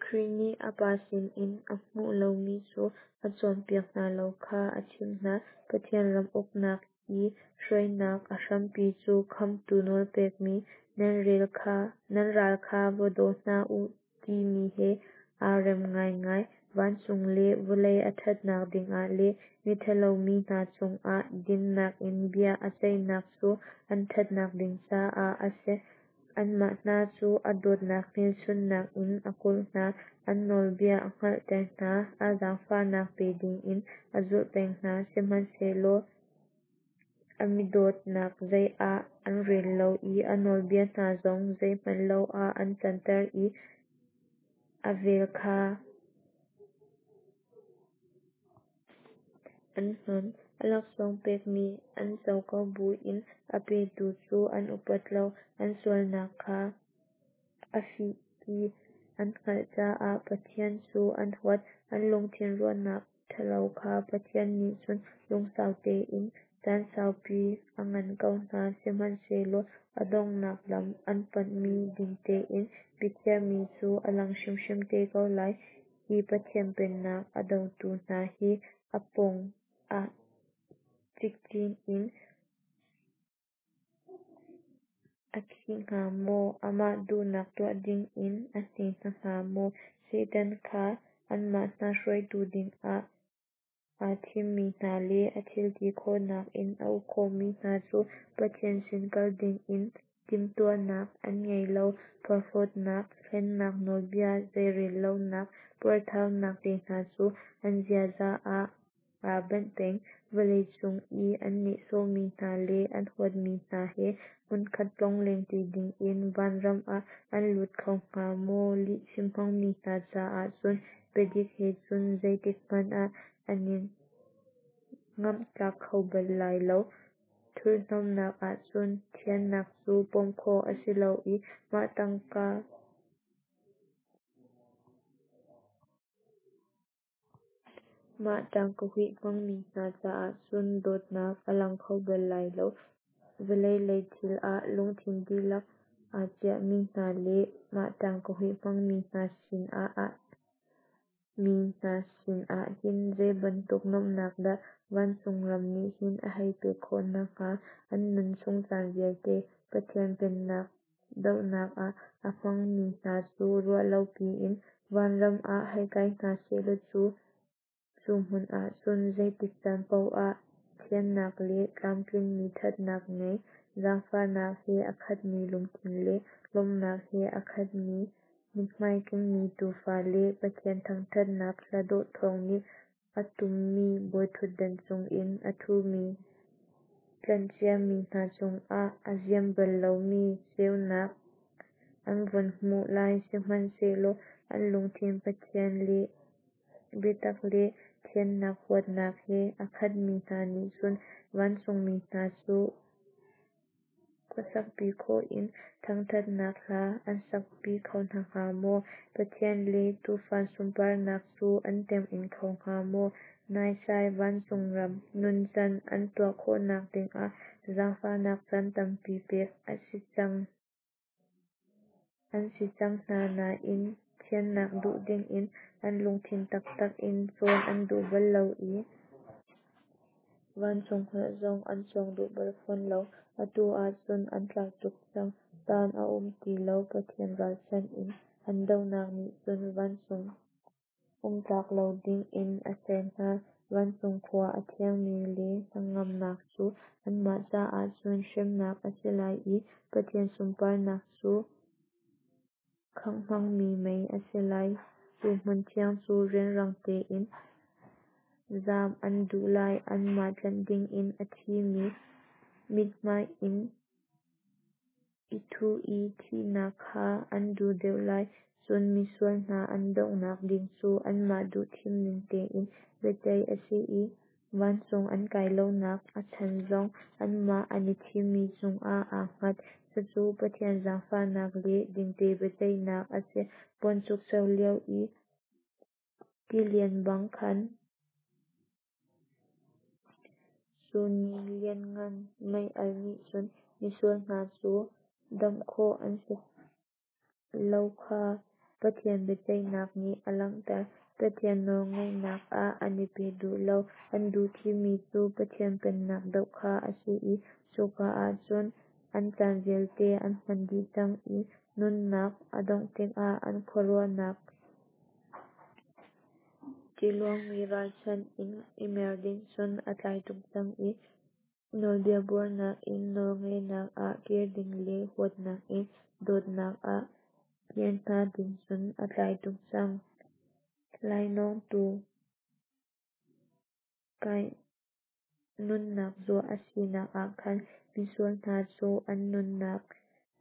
Khrih nih a Pa sinin a hmuh lomi cu a cawnpiak hna lo kha a chimh hna. Pathian ram uknak i hruainak a hrampi cu Khamhtu nawlpekmi, nan rel kha nan ral kha va daw hna u timi he aa rem ngaingai. Vancung le vawlei a ṭhatnak dingah le miṭhalo mi hna cungah dinnak in bia a ceihnak cu an ṭhatnak ding caah a si. Anmah hna cu a dawtnak hmelchunhnak in a kulh hna, a nawlbia a hngalhter hna, a zaangfahnak pe dingin a zulh peng hna. Sihmanhsehlaw a midawtnak zei ah an rel lo i a nawlbia hna zong zeihmanh lo ah an canter i a vel kha an hnon. A laksawng pekmi an co ko buin a petu cu an upat lo. An sualnak kha a fih ti an hngalh caah Pathian cu an huat. An lungthin ruahnak ṭhalo kha Pathian nih cun lungsau tein caan saupi a ngan ko hna. Sihmanhsehlaw a donghnak lam an panhmi ding tein biakhiahmi cu a lang hrimhrim te ko lai. Hi Pathian Pennak a dotu hna hi a pawng ah cikcin in a khih hnga maw? Amah duhnak tuah dingin a hne hna hnga maw? Satan kha anmah hna hruaitu dingah aa thimmi hna le a thilti khawhnak in a uk khawhmi hna cu Pathian sin kal dingin timhtuahnak an ngei lo. Porhlawtnak, hlennak, nawlbia zeirellonak, puarthaunak te hna cu an ziaza ah aa benh peng. Vawleicung i an nehsawhmi hna le an huatmi hna he hmunkhat tlonglengṭi dingin vanram ah an lut kho hnga maw? Lihchim hmangmi hna caah cun biadik he cun zeitik hmanh ah an i ngamhtlak kho bal lai lo. Thurhnomhnak ahcun thiannak cu pom khawh a si lo i mah tangka mah ṭangka huih hmangmi hna caah cun dawtnak a lang kho bal lai lo. Vawlei lei thil ah lungthin dihlak aa chiahmi hna le mah ṭangka huih hmangmi hna sinah mi hna sinah hin zeibantuk nuamhnak dah vancung ram nih hin a hei pek khawh hna hnga? An nun chung caan vialte Pathian pennak dohnak ah a hmangmi hna cu ruah lo piin vanram ah hei kai hna sehlaw cu, cu hmun ah cun zeitik caan paoh ah thiannak le tlamtlinmi ṭhatnak ngei, zaangfahnak he a khatmi lungthin le lawmhnak he a khatmi mithmai kengmi Tuufa le Pathian thangṭhatnak hla dawh thawng nih a tummi bawiṭhutdan cungin a ṭhumi tlanhciami hna cungah a ziam bal lomi ceunak an vun hmuh lai. Sihmanhsehlaw an lungthin Pathian le biatak le thiannak huatnak he a khatmi hna nih cun vancungmi hna cu khuasakpi khawh in thangṭhatnak hla an sakpi kho hna hnga maw? Pathian le Tuufa sunparnak cu an tem-ing kho hnga maw? Naisai vancung ram nuncan an tuah khawhnak dingah zaangfahnak caan tampi pek an si cang an si cang hna nain thiannak duh dingin an lungthin taktak in cawn an duh bal lo i vancung holh zong an cawng duh bal fawn lo. Atu ahcun an tlai tuk cang. Caan a um ti lo. Pathian ralchanh in an dohnak nih cun vancung um tlak lo dingin a ser hna. Vancung khua a thiangmi le hnangamnak cu anmah caah cun hremnak a si lai i Pathian sunparnak cu khangh hmangmi mei a si lai. Cu hmun thiang cu rianrang tein zam an duh lai. Anmah tlanh dingin a thimi mithmai in i thuh i thihnak kha an duh deuh lai. Cun misual hna an donghnak ding cu anmah duh thimning tein biaceih a si i vancung an kai lonak a chan zong anmah an i thimmi cungah aa hngat. Cucu Pathian zaangfahnak le dingte biaceihnak a si. Buanchukcho lio i tilian bang khan, cu ni lianngan mei-alh nih cun misual hna cu damh khawh an si lo kha Pathian biaceihnak nih a langhter. Pathian nawlngaihnak ah an i pe duh lo. An duh thimmi cu Pathian pennak doh kha a si i cuka ah cun an caan vialte an hman dih cang i nunnak a dongh tikah an khuaruahnak tiluangmi ralchanh in i mer ding cun a tlai tuk cang i nawlbia buarnak in nawlngaihnak ah kir ding le huatnak in dawtnak ah kir hna ding cun a tlai tuk cang. Lainawngtu Kain nunnak zuah a sinak ah khan misual hna cu an nunnak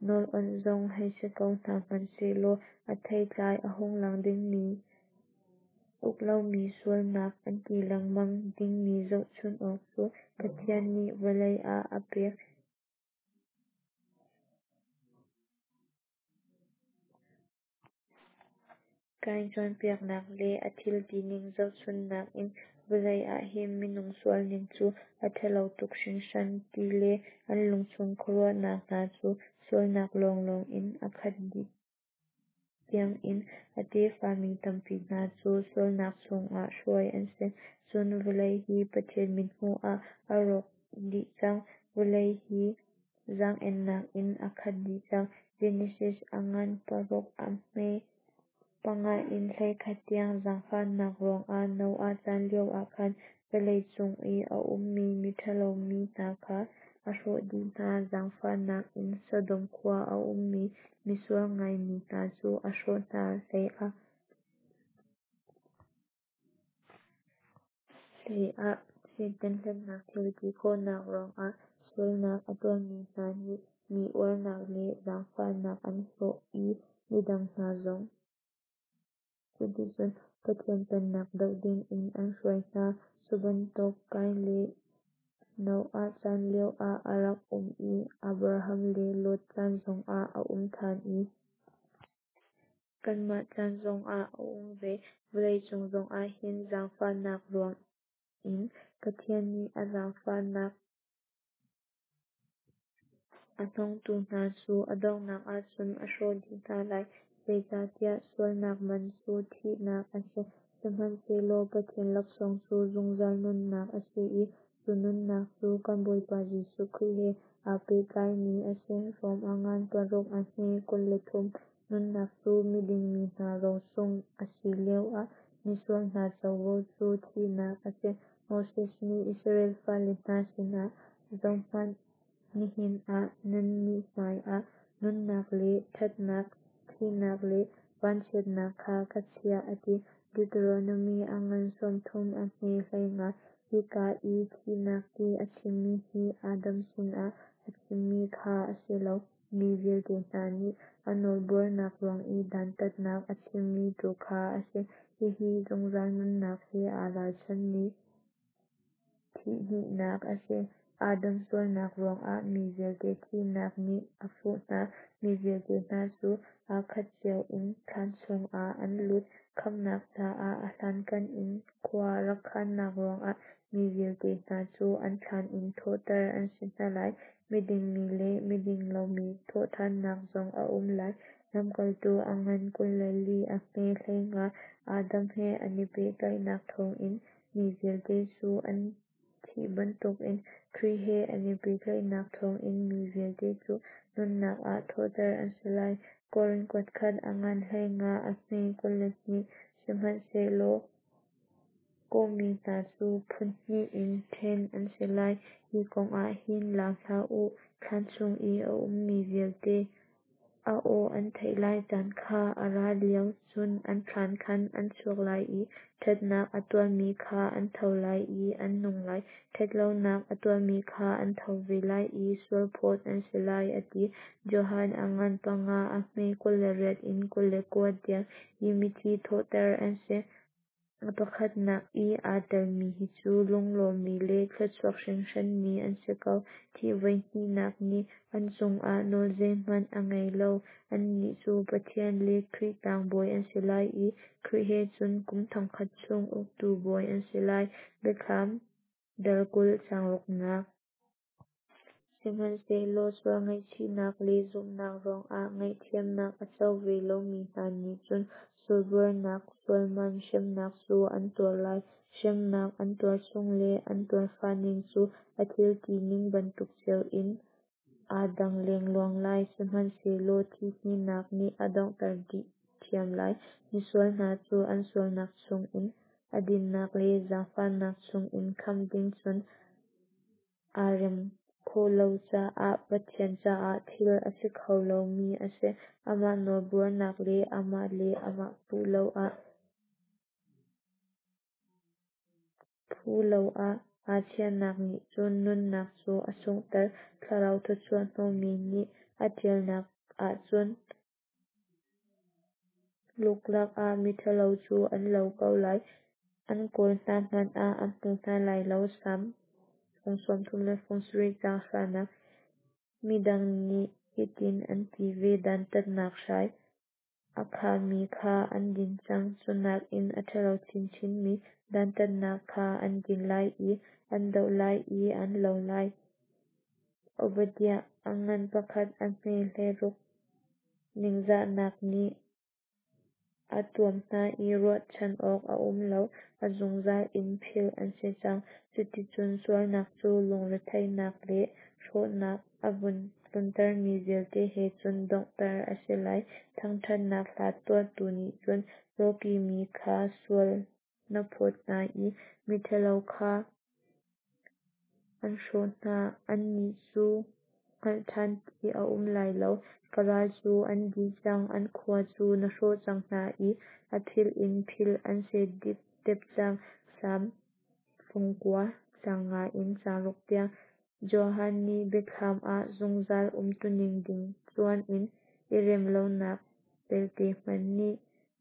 nawl awnh zong hei si ko hna hmanhsehlaw a theitlai a hung lang dingmi uk lomi sualnak an ti lengmang dingmi zohchun awk cu Pathian nih vawlei ah a pek. Kain cawnpiaknak le a thil tining zohchunhnak in vawlei ah hin minung sualning cu a ṭhalo tuk hringhran ti le an lungchung khuaruahnak hna cu sualnak lawnglawng in a khat dih tiangin a tefa mi tampi hna cu sualnak chungah hruai an si. Cun vawlei hi Pathian mithmuh ah a rawk dih cang. Vawlei hi zaang-ennak in a khat dih cang. Genesis a ngan paruk a hme panga in hleikhat tiang. Zaangfahnak ruangah Noah chan lioah khan vawlei cung i a ummi miṭhalo mi hna kha a hrawh dih hna. Zaangfahnak in Sodom khua a ummi misual ngaimi hna cu a hrawh hna hleiah hleiah Satan hlennak thil ti khawhnak ruangah sualnak a tuahmi hna nih mi uarnak le zaangfahnak an hlawh i midang hna zong cuticun Pathian pennak doh dingin an hruai hna. Cu bantuk Kain le Noah chan lioah a rak um i Abraham le Lot chan zongah a um ṭhan i kanmah chan zongah a um ve. Vawleicung zongah hin zaangfahnak ruang in Pathian nih a zaangfahnak A hnawngtu hna cu a donghnak ahcun a hrawh dih hna lai. Zeicahtiah sualnak man cu thihnak a si, sihmanhsehlaw Pathian laksawng cu zungzal nunnak a si i cu nunnak cu kan Bawipa Jesuh Khrih he aa pehtlaimi a si. Rom a ngan paruk a hme kul le thum. Nunnak cu miding mi hna rosung a si lioah misual hna covo cu thihnak a si. Moses nih Israel fale hna sinah, Zohhmanh, nihin ah nannih hmaiah nunnak le ṭhatnak, thihnak le vanchiatnak kha ka chiah, a ti. Deuteronomy a ngan sawmthum a hme hleinga. Hika i thihnak ti a chimmi hi Adam sinah a chimmi kha a si lo, mi vialte hna nih a nawlbuarnak ruang i dantatnak a chimmi tu kha a si. Hihi zungzal nunnak he aa ralchanmi thihhnihnak a si. Adam sualnak ruangah mi vialte thihnak nih a fuh hna. Mi vialte hna cu aa khat cio in thlan chungah an lut. Khamhnak caah a hlankan in khua rak khannak ruangah mi vialte hna cu an thlan in thawhter an si hna lai. Miding mi le miding lomi thawhthannak zong a um lai. Lamkaltu a ngan kul le li a hme hleinga. Adam he an i pehtlaihnak thawngin mi vialte cu an thih bantukin Khrih he an i pehtlaihnak thawngin mi vialte cu nunnak ah thawhter an si lai. Korin kuatkhat a ngan hleinga a hme kul le hnih. Sihmanhsehlaw kawhmi hna cu phun hnih in ṭhen an si lai. Hi kong ah hin lau hlah u, thlan chung i a ummi vialte a aw an theih lai caan kha a ra lio, cun an thlan khan an chuak lai i ṭhatnak a tuahmi kha an tho lai i an nung lai, ṭhatlonak a tuahmi kha an tho ve lai i sualphawt an si lai, a ti. Johan a ngan panga a hme kul le riat in kul le kua tiang hi mithi thawhter an si. A pakhatnak i aa telmi hi cu lunglawmmi le thluachuak hringhranmi an si ko. Thih voihnihnak nih an cungah nawl zeihmanh a ngei lo. Annih cu Pathian le Khrih tlangbawi an si lai i Khrih he cun kum thongkhat chung uktu bawi an si lai. Biathlam dal kul caang ruknak. Sihmanhsehlaw sual ngaihchihnak le zumhnak ruangah ngaihthiamnak a co ve lomi hna nih cun sualbuarnak sualman hremnak cu an tuar lai. Hremnak an tuar chung le an tuarfah ning cu a thil tining bantuk cio in aa dang lengluang lai. Sihmanhsehlaw thihhnihnak nih a donghter dih ṭhiam lai. Misual hna cu an sualnak chungin a dinnak le zaangfahnak chungin khamh ding cun aa rem khawh lo caah Pathian caah thil a si kho lomi a si. Amah nawlbuarnak le amah le amah puh lo ah phu lo ah aa chiahnak nih cun nunnak cu a sunghter. Thlarau thawchuah hnawhmi nih a ṭialnak ahcun luklak ah miṭhalo cu an lo ko lai. An kawl hna hmanh ah an hmu hna lai lo. Salm fung sawmthum le fung sarih caang hranak. Midang nih hitin an ti ve: Dantatnak hrai a khami kha an din cang, cu nakin a ṭhalo chinchinmi dantatnak kha an din lai i an doh lai i an lo lai. Obadiah a ngan pakhat a hme hleiruk. Ningzahnak nih a tuam hna i ruahchan awk a um lo, a zungzal in philh an si cang. Cuticun sualnak cu lungretheihnak le hrawhnak a vun tluntermi vialte he cun donghter a si lai. Thangṭhatnak hla tuahtu nih cun lawkihmi kha sual na phawt hna i miṭhalo kha an hrawh hna. Annih cu hngalh ṭhan ti a um lai lo. Ka ral cu an dih cang, an khua cu na hrawh cang hna i a philh in philh an si dipdep cang. Salm fung kua, caang nga in caang ruk tiang. Johan nih Biathlam ah zungzal umtuning ding cuan in i remlonak pelte hmanh nih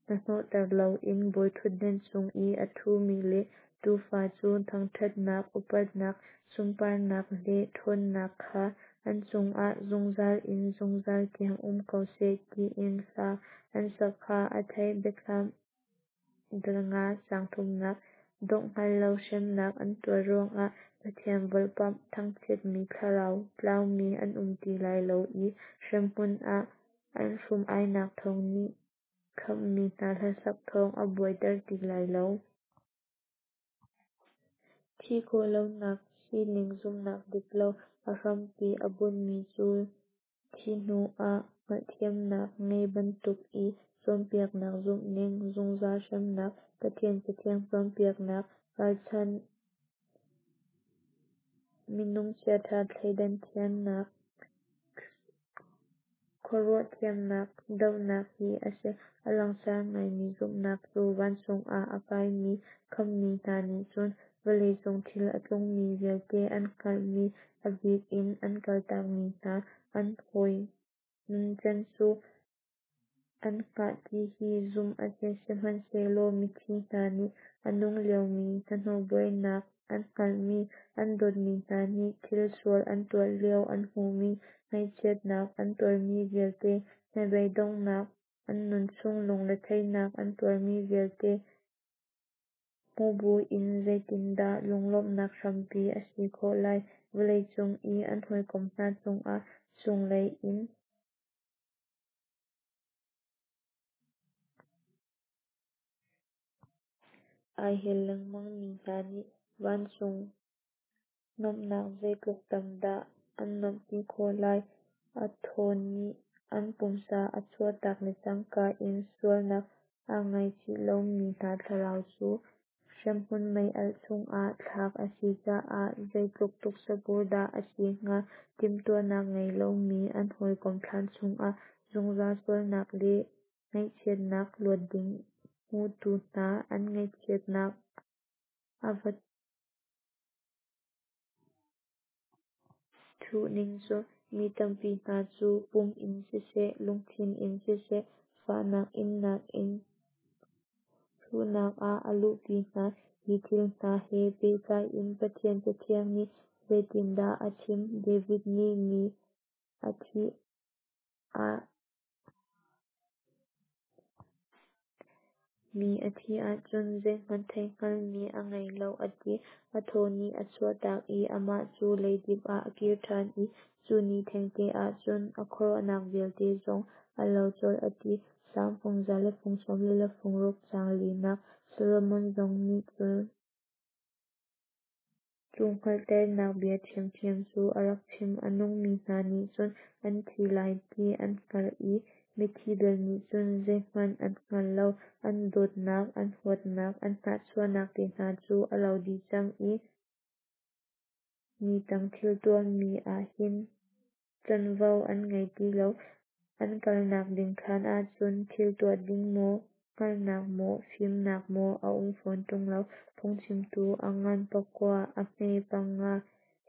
hnahnawhter loin bawiṭhutdan cung i a ṭhumi le Tuufa cu thangṭhatnak, upatnak, sunparnak le ṭhawnnak kha an cungah zungzal in zungzal tiang um ko seh tiin hla an sak kha a theih. Biathlam dal nga caang thumnak. Dongh hngal lo hremnak an tuar ruangah Pathian volhpamh thangchiatmi thlarau tlaumi an um ti lai lo i hremhmun ah an hrum-ainak thawng nih khamhmi hna hlasak thawng a buaiter ti lai lo. Thih khawh lonak sining zumhnak dik lo a hrampi a bunhmi cu thih hnu ah hngalhthiamnak ngei bantuk i cawnpiaknak zumhning, zungzal hremnak, Pathian Cathiang cawnpiaknak ralchanh minung chiaṭha thleidan thiamnak, khuaruah thiamnak dohnak hi a si. A langsar ngaimi zumhnak cu vancung ah a kaimi khamhmi hna nih cun vawleicung thil a tlungmi vialte an hngalhmi, a bik in an kaltakmi hna an hawi nuncan cu an hngah ti hi zumh a si. Sihmanhsehlaw mithi hna nih a nung liomi hnahnawh buainak an hngalhmi, an dawtmi hna nih thil sual an tuah lio an hmuhmi, ngaihchiatnak an tuarmi vialte, hnabei donghnak, an nunchung lungretheihnak an tuarmi vialte hmu buin zeitindah lunglawmhnak hrampi a si khawh lai? Vawleicung i an hawikom hna cungah chunglei in ai hel lengmang mi hna nih vancung nuamhnak zeitluk tam dah an nuamhpi khawh lai? A thaw nih an pumsa a chuahtak le cangka in sualnak aa ngaichih lomi hna thlarau cu hremhmun mei-alh chungah thlak a si caah zeitluk tuksapur dah a si hnga? Timhtuahnak ngei lomi an hawikom thlan chungah zungzal sualnak le ngaihchiatnak luat ding hmutu hna an ngaihchiatnak a va thuh ning cu! Mi tampi hna cu pum in siseh, lungthin in siseh, fahnak innak in hruhnak ah a luhpi hna. Hi thil hna he pehtlai in Pathian Cathiang nih zeitindah a chim? David nih mi a thih ah Mi a thih ahcun zeihmanh theihhngalhmi a ngei lo a ti. A thaw nih a chuahtak i amah cu leidip ah a kir ṭhan i cu ni thengte ah cun a khuaruahnak vialte zong a lo colh a ti. Salm fung za le fung sawm li le fung ruk caang linak. Solomon zong nih cun cu hngalhternak bia ṭhiamṭhiam cu a rak chim. A nungmi hna nih cun an thi lai ti an hngalh i mithi bel nih cun zeihmanh an hngal lo. An dawtnak, an huatnak, an hnahchuahnak te hna cu a lo dih cang i ni tang thil tuahmi ah hin canvo an ngei ti lo. An kalnak ding thlan ah cun thil tuah ding maw, hngalhnak maw, fimnak maw a um fawn ṭung lo. Phungchimtu a ngan pakua, a hme panga.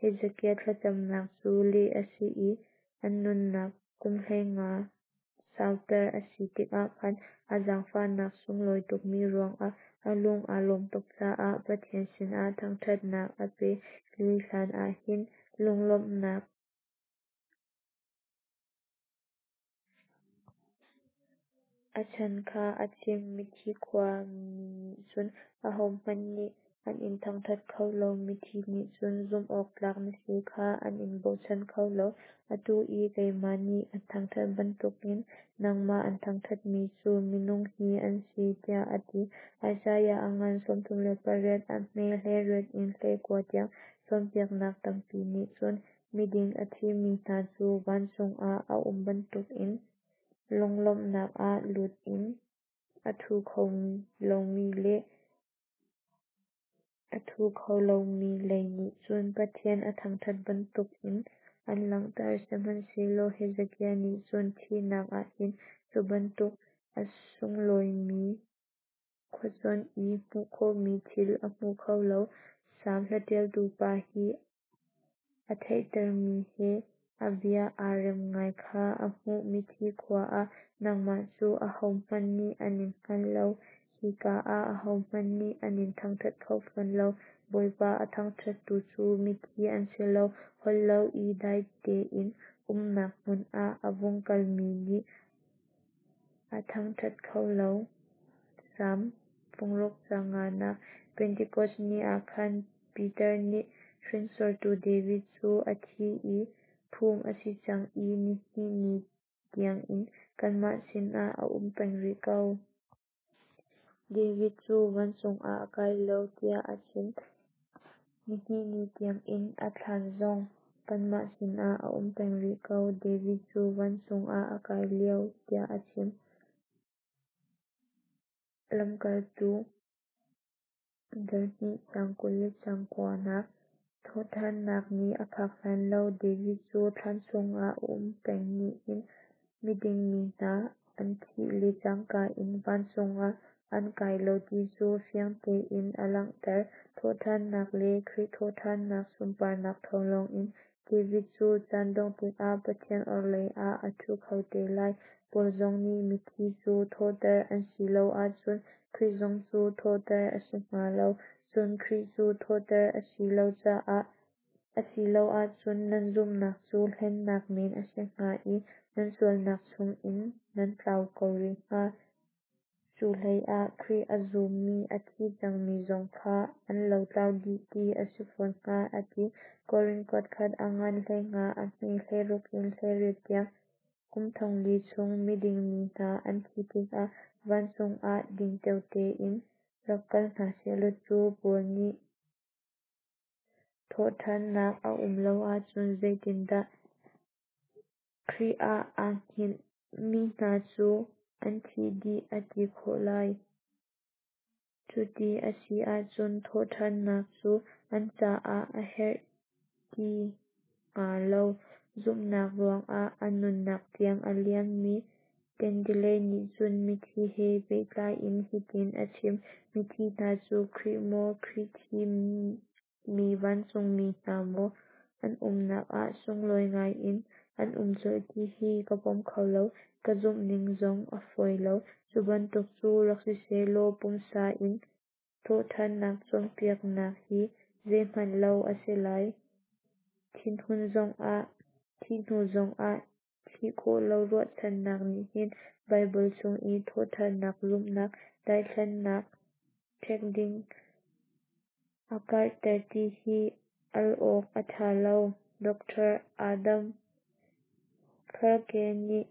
Hezekiah thlacamnak cu leh a si i a nunnak kum hleinga sauter a si tikah khan a zaangfahnak sunglawi tukmi ruangah a lung aa lawmh tuk caah Pathian sinah thangṭhatnak a pe. Hi hlanah hin lunglawmhnak a chan kha a chim. Mithi khua mi nih cun ahohmanh nih an in thangṭhat kho lo; mithi nih cun zumhawktlak na si kha an in bochan kho lo. Atu i keimah nih an thangṭhat bantukin nangmah an thangṭhatmi cu minung hi an si, tiah a ti. Isaiah a ngan sawmthum le pariat, a hme hleiriat in hleikua tiang. Cawnpiaknak tampi nih cun miding a thimi hna cu vancung ah a um bantukin lunglawmhnak ah lut in a ṭhu kho lomi le a ṭhu kho lomi lei nih cun Pathian a thangṭhat bantukin an langhter. Sihmanhsehlaw Hezekiah nih cun thihnak ah hin cu bantuk a sunglawimi khuacuanh i hmuh khawhmi thil a hmu kho lo. Salm hlaṭialtu pa hi a theihtermi he a bia aa rem ngai kha a hmuh. Mithi khua ah nangmah cu ahohmanh nih an in hngal lo, hika ah ahohmanh nih an in thangṭhat kho fawn lo. Bawipa a thangṭhattu cu mithi an si lo, holh lo i dai tein umnak hmun ah a vung kalmi nih a thangṭhat kho lo. Salm fung ruk caang nganak. Pentekos ni ah khan Peter nih hringsortu David cu a thi i phum a si cang i nihnih ni tiangin kanmah sinah a um peng rih ko. David cu vancung ah a kai lo tiah a chim. Nihnih ni tiangin a thlan zong kanmah sinah a um peng rih ko. David cu vancung ah a kai lo tiah a chim. Lamkaltu dal hnih caang kul le caang kuanak. Thawhṭhannak ni a phak hlan lo David cu thlan chungah a um peng nih hin miding mi hna an thih le cangka in vancung ah an kai lo ti cu fiang tein a langhter. Thawhṭhannak le Khrih thawhṭhannak sunparnak thawng lawngin David cu caan dongh tikah Pathian orhlei ah a ṭhu kho te lai. Paul zong nih mithi cu thawhter an si lo ahcun Khrih zong cu thawhter a si hnga lo. Cun Khrih cu thawhter a si lo caah a si lo ahcun nan zumhnak cu hlennak men a si hnga i nan sualnak chungin nan tlau ko rih hnga. Cu hleiah Khrih a zummi a thi cangmi zong kha an lotlau dih ti a si fawn hnga a ti. Korin kuatkhat a ngan hleinga a hme hleiruk in hleiriat tiang. Kum thongli chung miding mi hna an thih tikah vancung ah dingteo tein rak kal hna sehlaw cu Paul nih thawhṭhannak a um lo ahcun zeitindah Khrih ah aa hngilh mi hna cu an thih dih a ti khawh lai? Cuti a si ahcun thawhṭhannak cu an caah a herh ti hnga lo. Zumhnak ruangah a nunnak tiang a liammi Tyndale nih cun mithi he pehtlai in hitin a chim: Mithi hna cu Khrih maw, Khrih thimmi vancungmi hna maw an umnak ah sunglawi ngai in an um colh ti hi ka pom kho lo, ka zumh ning zong a fawi lo. Cu bantuk cu rak siseh law pumsa in thawhṭhannak cawnpiaknak hi zeihmanh lo a si lai. Thinhun zongah, thih hnu zongah thih khawh lo ruahchannak nih hin Baibal chung i thawhṭhannak zumhnak daithlannak ṭhek ding a karhter ti hi al awk a ṭha lo. Doctor Adam Clarke nih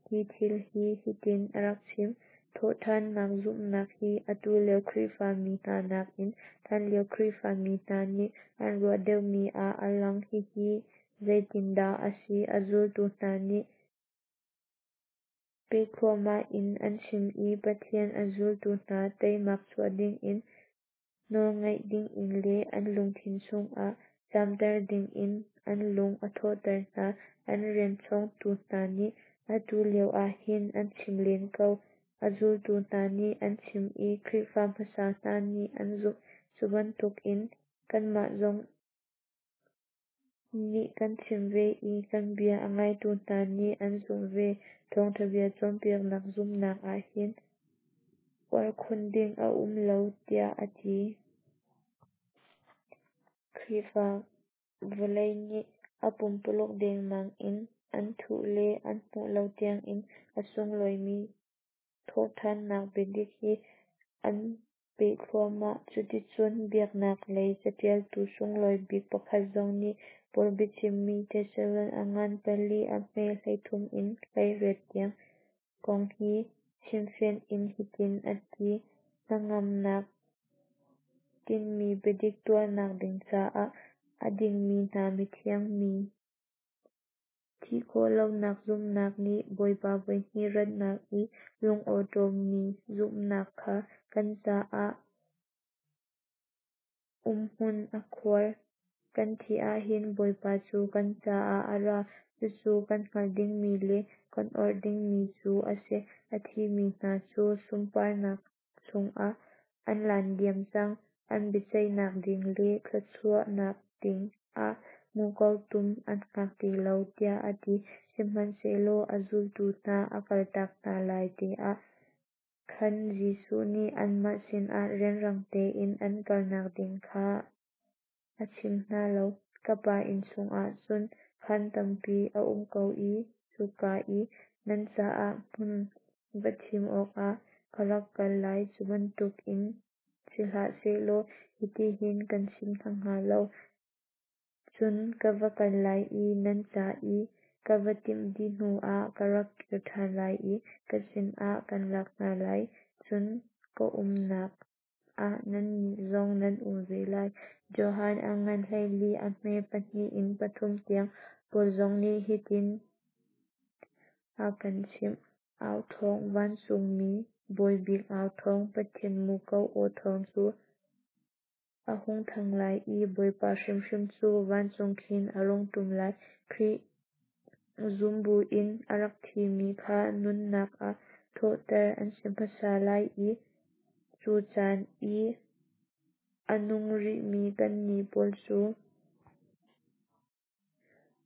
hi thil hi hitin a rak chim: Thawhṭhannak zumhnak hi atu lio Khrihfami hna nakin hlanlio Khrihfami hna nih an ruah deuhmi ah a lang. Hihi zeitindah a si? A zultu hna nih peh thluahmah in an chim i Pathian a zultu hna teimak chuah dingin, nawlngaih dingin le an lungthin chungah camter dingin an lung a thawhter hna. An rian chawngtu hna nih atu lio ah hin an chim len ko. A zultu hna nih an chim i Khrihfa hmasa hna nih an zumh. Cu bantukin kanmah zong nih kan chim ve i kan bia a ngaitu hna nih an zumh ve. Thawngṭha bia cawnpiaknak zumhnak ah hin uar khun ding a um lo, tiah a ti. Khrihfa vawlei nih a pumpuluk dengmang in an thuh le an hmuh lo tiangin a sunglawimi thawhṭhannak biadik hi an peh thluahmah. Cuticun biaknak lei caṭialtu sunglawi bik pakhat zong nih Paul biachimmi Thesalon a ngan pali a hme hleithum in hleiriat tiang kong hi chimfianh in hitin a ti: Hnangamnak tinhmi biadik tuahnak ding caah a dingmi hna mithiang mi thih khawh lonak zumhnak nih Bawipa voihnih ratnak i lungawṭawmmi zumhnak kha kan caah umhmun a khuar. Kan thih ahhin Bawipa cu kan caah a ra. Cucu kan hngalh dingmi le kan orh dingmi cu a si. A thimi hna cu sunparnak chungah an lan diam cang. An biaceihnak ding le thluachuahnak ding ah muko tum an hngak ti lo, tiah a ti. Sihmanhsehlaw a zultu hna a kaltak hna lai te ah khan Jesuh nih anmah sinah rianrang tein an kalnak ding kha a chim hna lo. Ka Pa inn chungah cun khaan tampi a um ko i cuka i nan caah hmun va thim awkah ka rak kal lai. Cu bantukin si hlah sehlaw hitihin kan chim hna hnga lo. Cun ka va kal lai i nan ca i ka va timh dih hnuah ka rak kir ṭhan lai i ka sinah kan lak hna lai, cun ka umnak ah nannih zong nan um ve lai. Johan a ngan hleili a hme pahnih in pathum tiang. Paul zong nih hitin a kan chimh. Au thawng, vancungmi bawibik au thawng, Pathian muko aw thawng cu a hung thang lai i Bawipa hrimhrim cu vancung khin a rung ṭum lai. Khrih zum buin a rak thimi kha nunnak ah thawhter an si hmasa lai i cu caan i a nung rihmi kannih pawl cu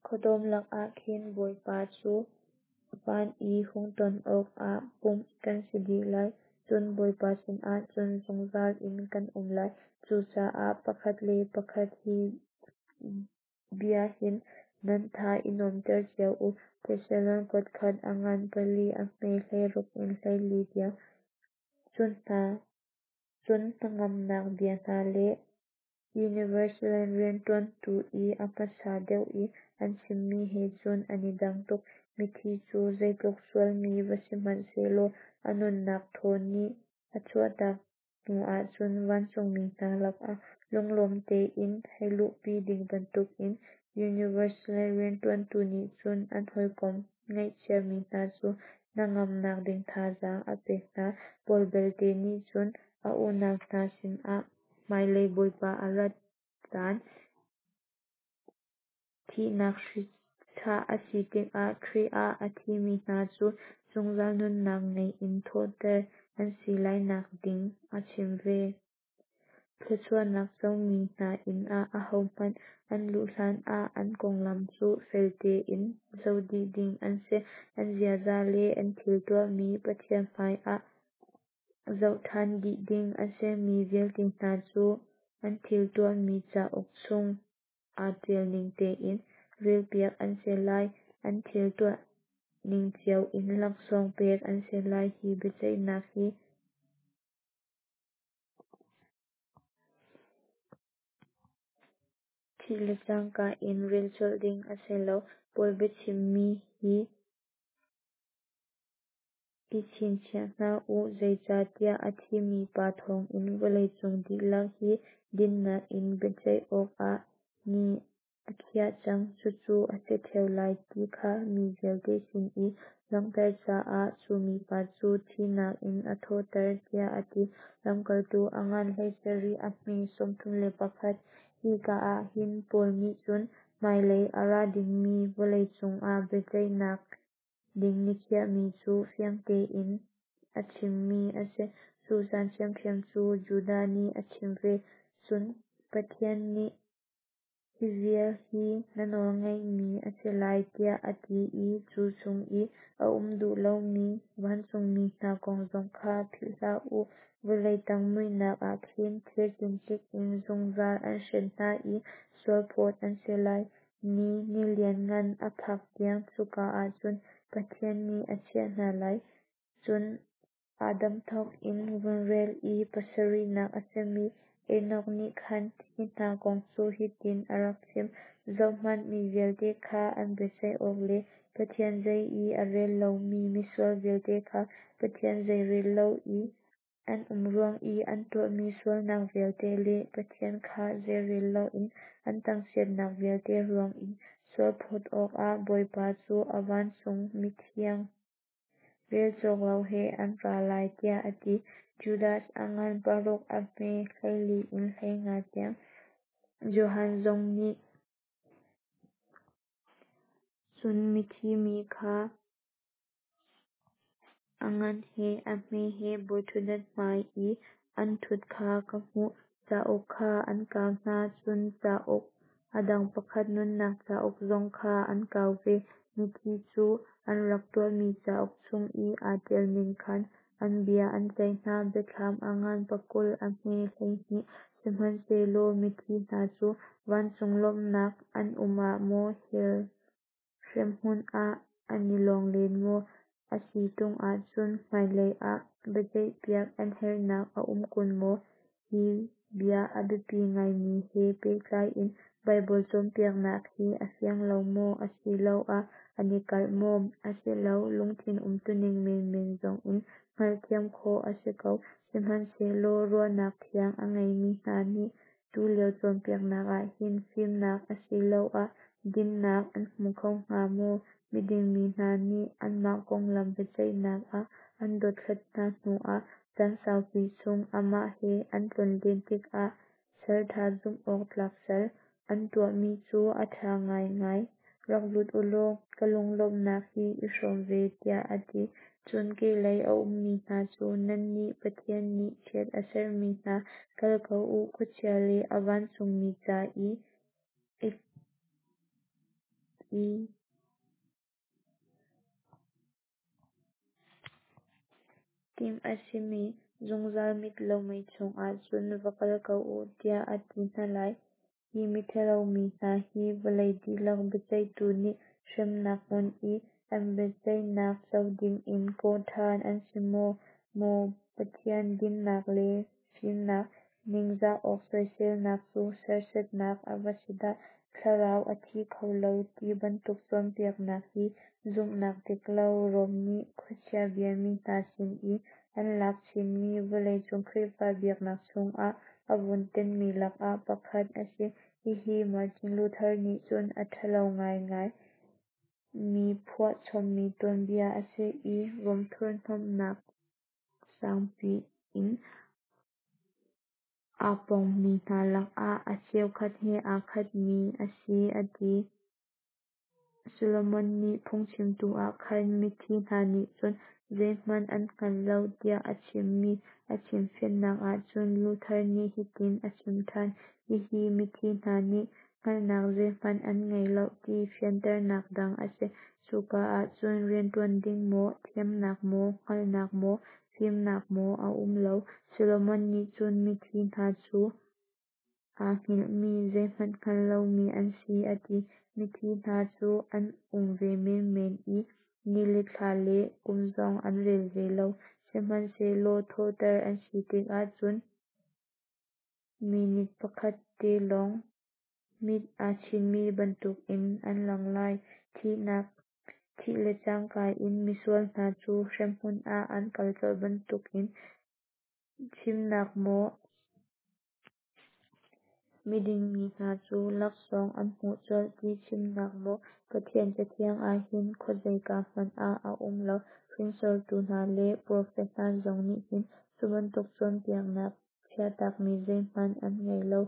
khuadawm lakah khin Bawipa cu van i hung ton awkah pumh kan si dih lai. Cun Bawipa sinah cun zungzal in kan um lai. Cucaah pakhat le pakhat hi bia hin nan tha i nuamhter cio u. Thesalon kuatkhat a ngan pali a hme hleiruk in hleili tiang. Cun hna cun hnangamnak bia hna le Universal rianṭuantu i a hmasa deuh i an chimmi he cun an i dang tuk. Mithi cu zeitluk sualmi va si hmanh sehlaw a nunnak thaw nih a chuahtak hnu ahcun vancungmi hna lakah lunglawm tein hei luhpi ding bantukin Universal rianṭuantu nih cun an hawikom ngaihchiami hna cu hnangamnak ding thazaang a pek hna. Paul belte nih cun a unau hna sinah hmailei Bawipa a rat caan thihnak hri chah a si tikah Khrih ah a thimi hna cu zungzal nunnak ngei in thawhter an si lainak ding a chim ve. Thluachuahnak comi hna inn ah ahohmanh an luh hlanah an konglam cu fel tein zoh dih ding an si. An ziaza le an thil tuahmi Pathian hmaiah zoh ṭhan dih ding a si. Mi vialte hna cu an thil tuahmi cauk chung aa ṭial ning tein relpiak an si lai. An thil tuah ning cio in laksawng pek an si lai. Hi biaceihnak hi thih le cangka in rel colh ding a si lo. Paul biachimmi hi i chinchiah hna u, zeicahtiah a thimi pa thawngin vawleicung dihlak hi dinnak in biaceih awkah ni a khiah cang. Cucu a si ṭheo lai ti kha mi vialte sin i langhter caah cu mipa cu thihnak in a thawhter, tiah a ti. Lamkaltu a ngan hleisarih a hme sawmthum le pakhat. Hika ah hin Paul nih cun hmailei a ra dingmi vawleicung ah biaceihnak ding nikhiahmi cu fiang tein a chimmi a si. Cu caan ṭhiamṭhiam cu Judah nih a chim ve. Cun Pathian nih hi vial hi na nawlngeihmi a si lai tiah a ti i cu chung i a um duh lomi vancungmi hna kong zong kha philh hlah u. Vawlei tang muihnak ah khin thir cincik in zungzal an hren hna i sualphawt an si lai ni, ni lianngan a phak tiang cuka ah cun Pathian nih a chiah hna lai. Cun Adam thawk in vun rel i pasarihnak a simi Enoch nih khan hi hna kong cu hitin a rak chim: Zohhmanh, mi vialte kha an biaceih awk le Pathian zei i a rel lomi misual vialte kha Pathian zeirel lo i an um ruang i an tuahmi sualnak vialte le Pathian kha zeirel loin an thangchiatnak vialte ruang i sualphawt awkah Bawipa cu a vancung mithiang rel cawk lo he an ra lai, tiah a ti. Judas a ngan paruk a hme hleili in hleinga tiang. Johan zong nih cun mithi mi kha a ngan he a hme he bawiṭhutdan hmai i an ṭhut kha ka hmuh. Cauk kha an kau hna, cun cauk a dang pakhat nunnak cauk zong kha an kau ve. Mithi cu an rak tuahmi cauk chung i aa ṭialning khan an bia an ceih hna. Biathlam a ngan pakul a hme hleihnih. Sihmanhsehlaw mithi hna cu vancung lawmhnak an um ah maw, hell hremhmun ah an i lawng len maw, a si ṭung ahcun hmailei ah biaceihpiak an herhnak a um kun maw? Hi bia a biapi ngaimi he pehtlai in Baibal cawnpiaknak hi a fiang lo maw, asiloah an i kalh maw? Asilo, lungthin umtuning menmen zong in hngalhthiam khawh a si ko. Sihmanhsehlaw ruahnak thiang a ngeimi hna nih tulio cawnpiaknak ah hin fimnak asiloah dinnak an hmu kho hnga maw? Miding mi hna nih anmah konglam biaceihnak ah an dothlat hna hnuah caan saupi chung amah he an tlonlen tikah, Salṭha zumh awk tlak sal, na tuahmi cu a ṭha ngaingai; rak lut ulaw ka lunglawmhnak hi i hrawm ve, tiah a ti. Cun kehlei a ummi hna cu, Nannih Pathian nih chiat a serhmi hna, kal ko u, khuachia le a vancungmi ca i i timh a simi zungzal mit lo mei chungah cun va kal ko u, tiah a ti hna lai. Hi miṭhalo mi hna hi vawlei dihlak biaceihtu nih hremnak hmun i an biaceihnak co dingin kawh ṭhan an si maw? Maw Pathian dinnak le fimnak, ningzah awk soiselnak cu serhsatnak a va si dah! Thlarau a thi kho lo ti bantuk cawnpiaknak hi zumhnak dik lo Rom nih khuachia biami hna sin i an lak chinmi vawleicung Khrihfa biaknak chungah a vun tenhmi lakah pakhat a si. Hihi Martin Luther nih cun a ṭhalo ngaingai mi phuah chommi tuanbia a si i Rom thurhnawmhnak sangpi in aa pongmi hna lakah a cheukhat he aa khatmi a si a ti. Solomon nih Phungchimtu ah khan mithi hna nih cun zeihmanh an hngal lo tiah a chimmi a chimfiannak ahcun Luther nih hitin a chim ṭhan. Hihi mithi hna nih hngalhnak zeihmanh an ngei lo ti fianternak dang a si. Cuka ahcun rianṭuan ding maw, thiamnak maw, hngalhnak maw, fimnak maw a um lo. Solomon nih cun mithi hna cu aa hngilhmi, zeihmanh hngal lomi an si a ti. Mithi hna cu an um ve menmen i ni le thla le kum zong an rel ve lo. Sihmanhsehlaw thawhter an si tikah cun minit pakhat te lawng mit aa chinmi bantukin an lang lai. Thihnak thih le cangka in misual hna cu hremhmun ah an kal colh bantukin chimnak maw, miding mi hna cu laksawng an hmuh colh ti chimnak maw Pathian Cathiang ah hin khuazeika hmanh ah a um lo. Hringsortu hna le profet hna zong nih hin cu bantuk cawnpiaknak chiahtakmi zeihmanh an ngei lo.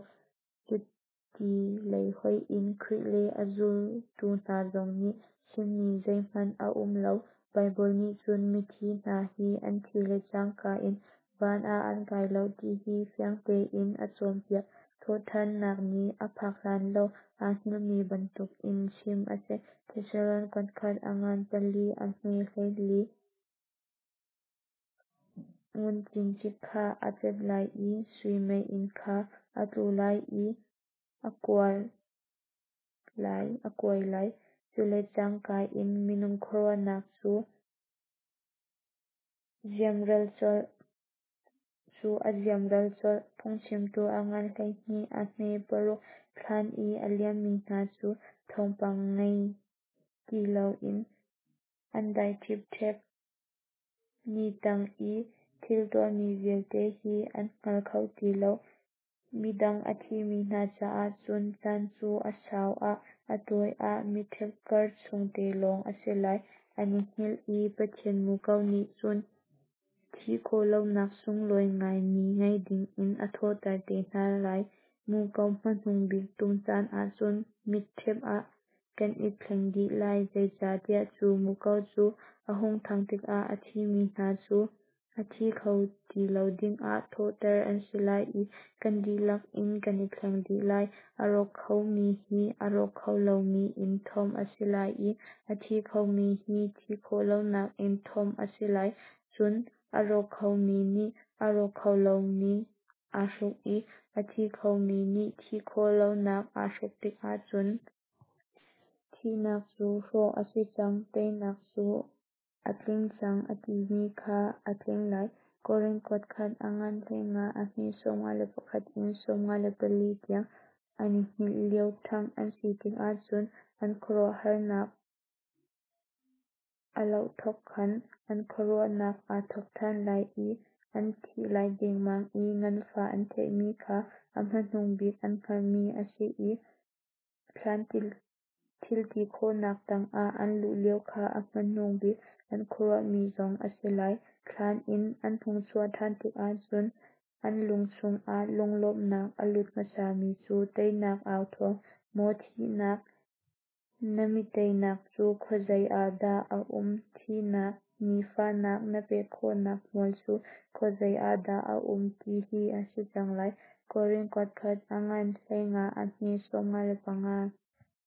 Cuti lei hoih in Khrih le a zultu hna zong nih chimmi zeihmanh a um lo. Baibal nih cun mithi hna hi an thih le cangka in van ah an kai lo ti hi fiang tein a cawnpiak. Thawhṭhannak ni a phak hlan lo aa hngilhmi bantukin chim a si. Thesalon kuatkhat a ngan pali a hme hleili. Ngun cincik kha a cat lai i sui meiinn kha a tlu lai i a kuai lai. Cu le cangka in minung khuaruahnak cu a ziamral colh. Phungchimtu a ngan hleihnih a hme paruk. Thlan i a liammi hna cu thawngpang ngei ti loin an dai ṭhipṭhep. Ni tang i thil tuahmi vialte hi an hngal kho ti lo. Midang a thimi hna caah cun caan cu a sau ah a tawi ah mitṭhep kar chung te lawng a si lai. An i hngilh i Pathian muko nih cun thih khawh lonak sunglawi ngaimi ngei dingin a thawhter te hna lai. Muko hmanung bik tum caan ah cun mitṭhep ah kan i thleng dih lai. Zeicahtiah cu muko cu a hung thang tikah a thimi hna cu a thi kho ti lo dingah thawhter an si lai i kan dihlak in kan i thleng dih lai. A rawk khomi hi a rawk kho lomi in thomh a si lai i a thi khomi hi thih khawh lonak in thomh a si lai. Cun a rawk khomi nih a rawk kho lomi aa hruk i a thi khomi nih thih khawh lonak aa hruk tikah cun thihnak cu hrawh a si cang, teinak cu a tling cang a timi kha a tling lai. Korin kuatkhat a ngan hleinga a hme sawmnga le pakhat in sawmnga le pali tiang. An i hngilh lio ṭhangh an si tikah cun an khuaruahharnak a loh thawk khan an khuaruahnak aa thawk ṭhan lai i an thih lai dengmang i nganfah an theihmi kha a hmanung bik an hngalhmi a si i thlan thilti khawhnak tangah an luh lio kha a hmanung bik an khuaruahmi zong a si lai. Thlan in an hung chuah ṭhan tikah cun an lung chungah lunglawmhnak a lut hmasami cu teinak au thawng, Maw thihnak, na mi teinak cu khuazei ah dah a um? Thihnak, ni fahnak na pek khawhnak hmual cu khuazei ah dah a um? ti hi a si cang lai. Korin kuatkhat a ngan hleinga a hme sawmnga le panga.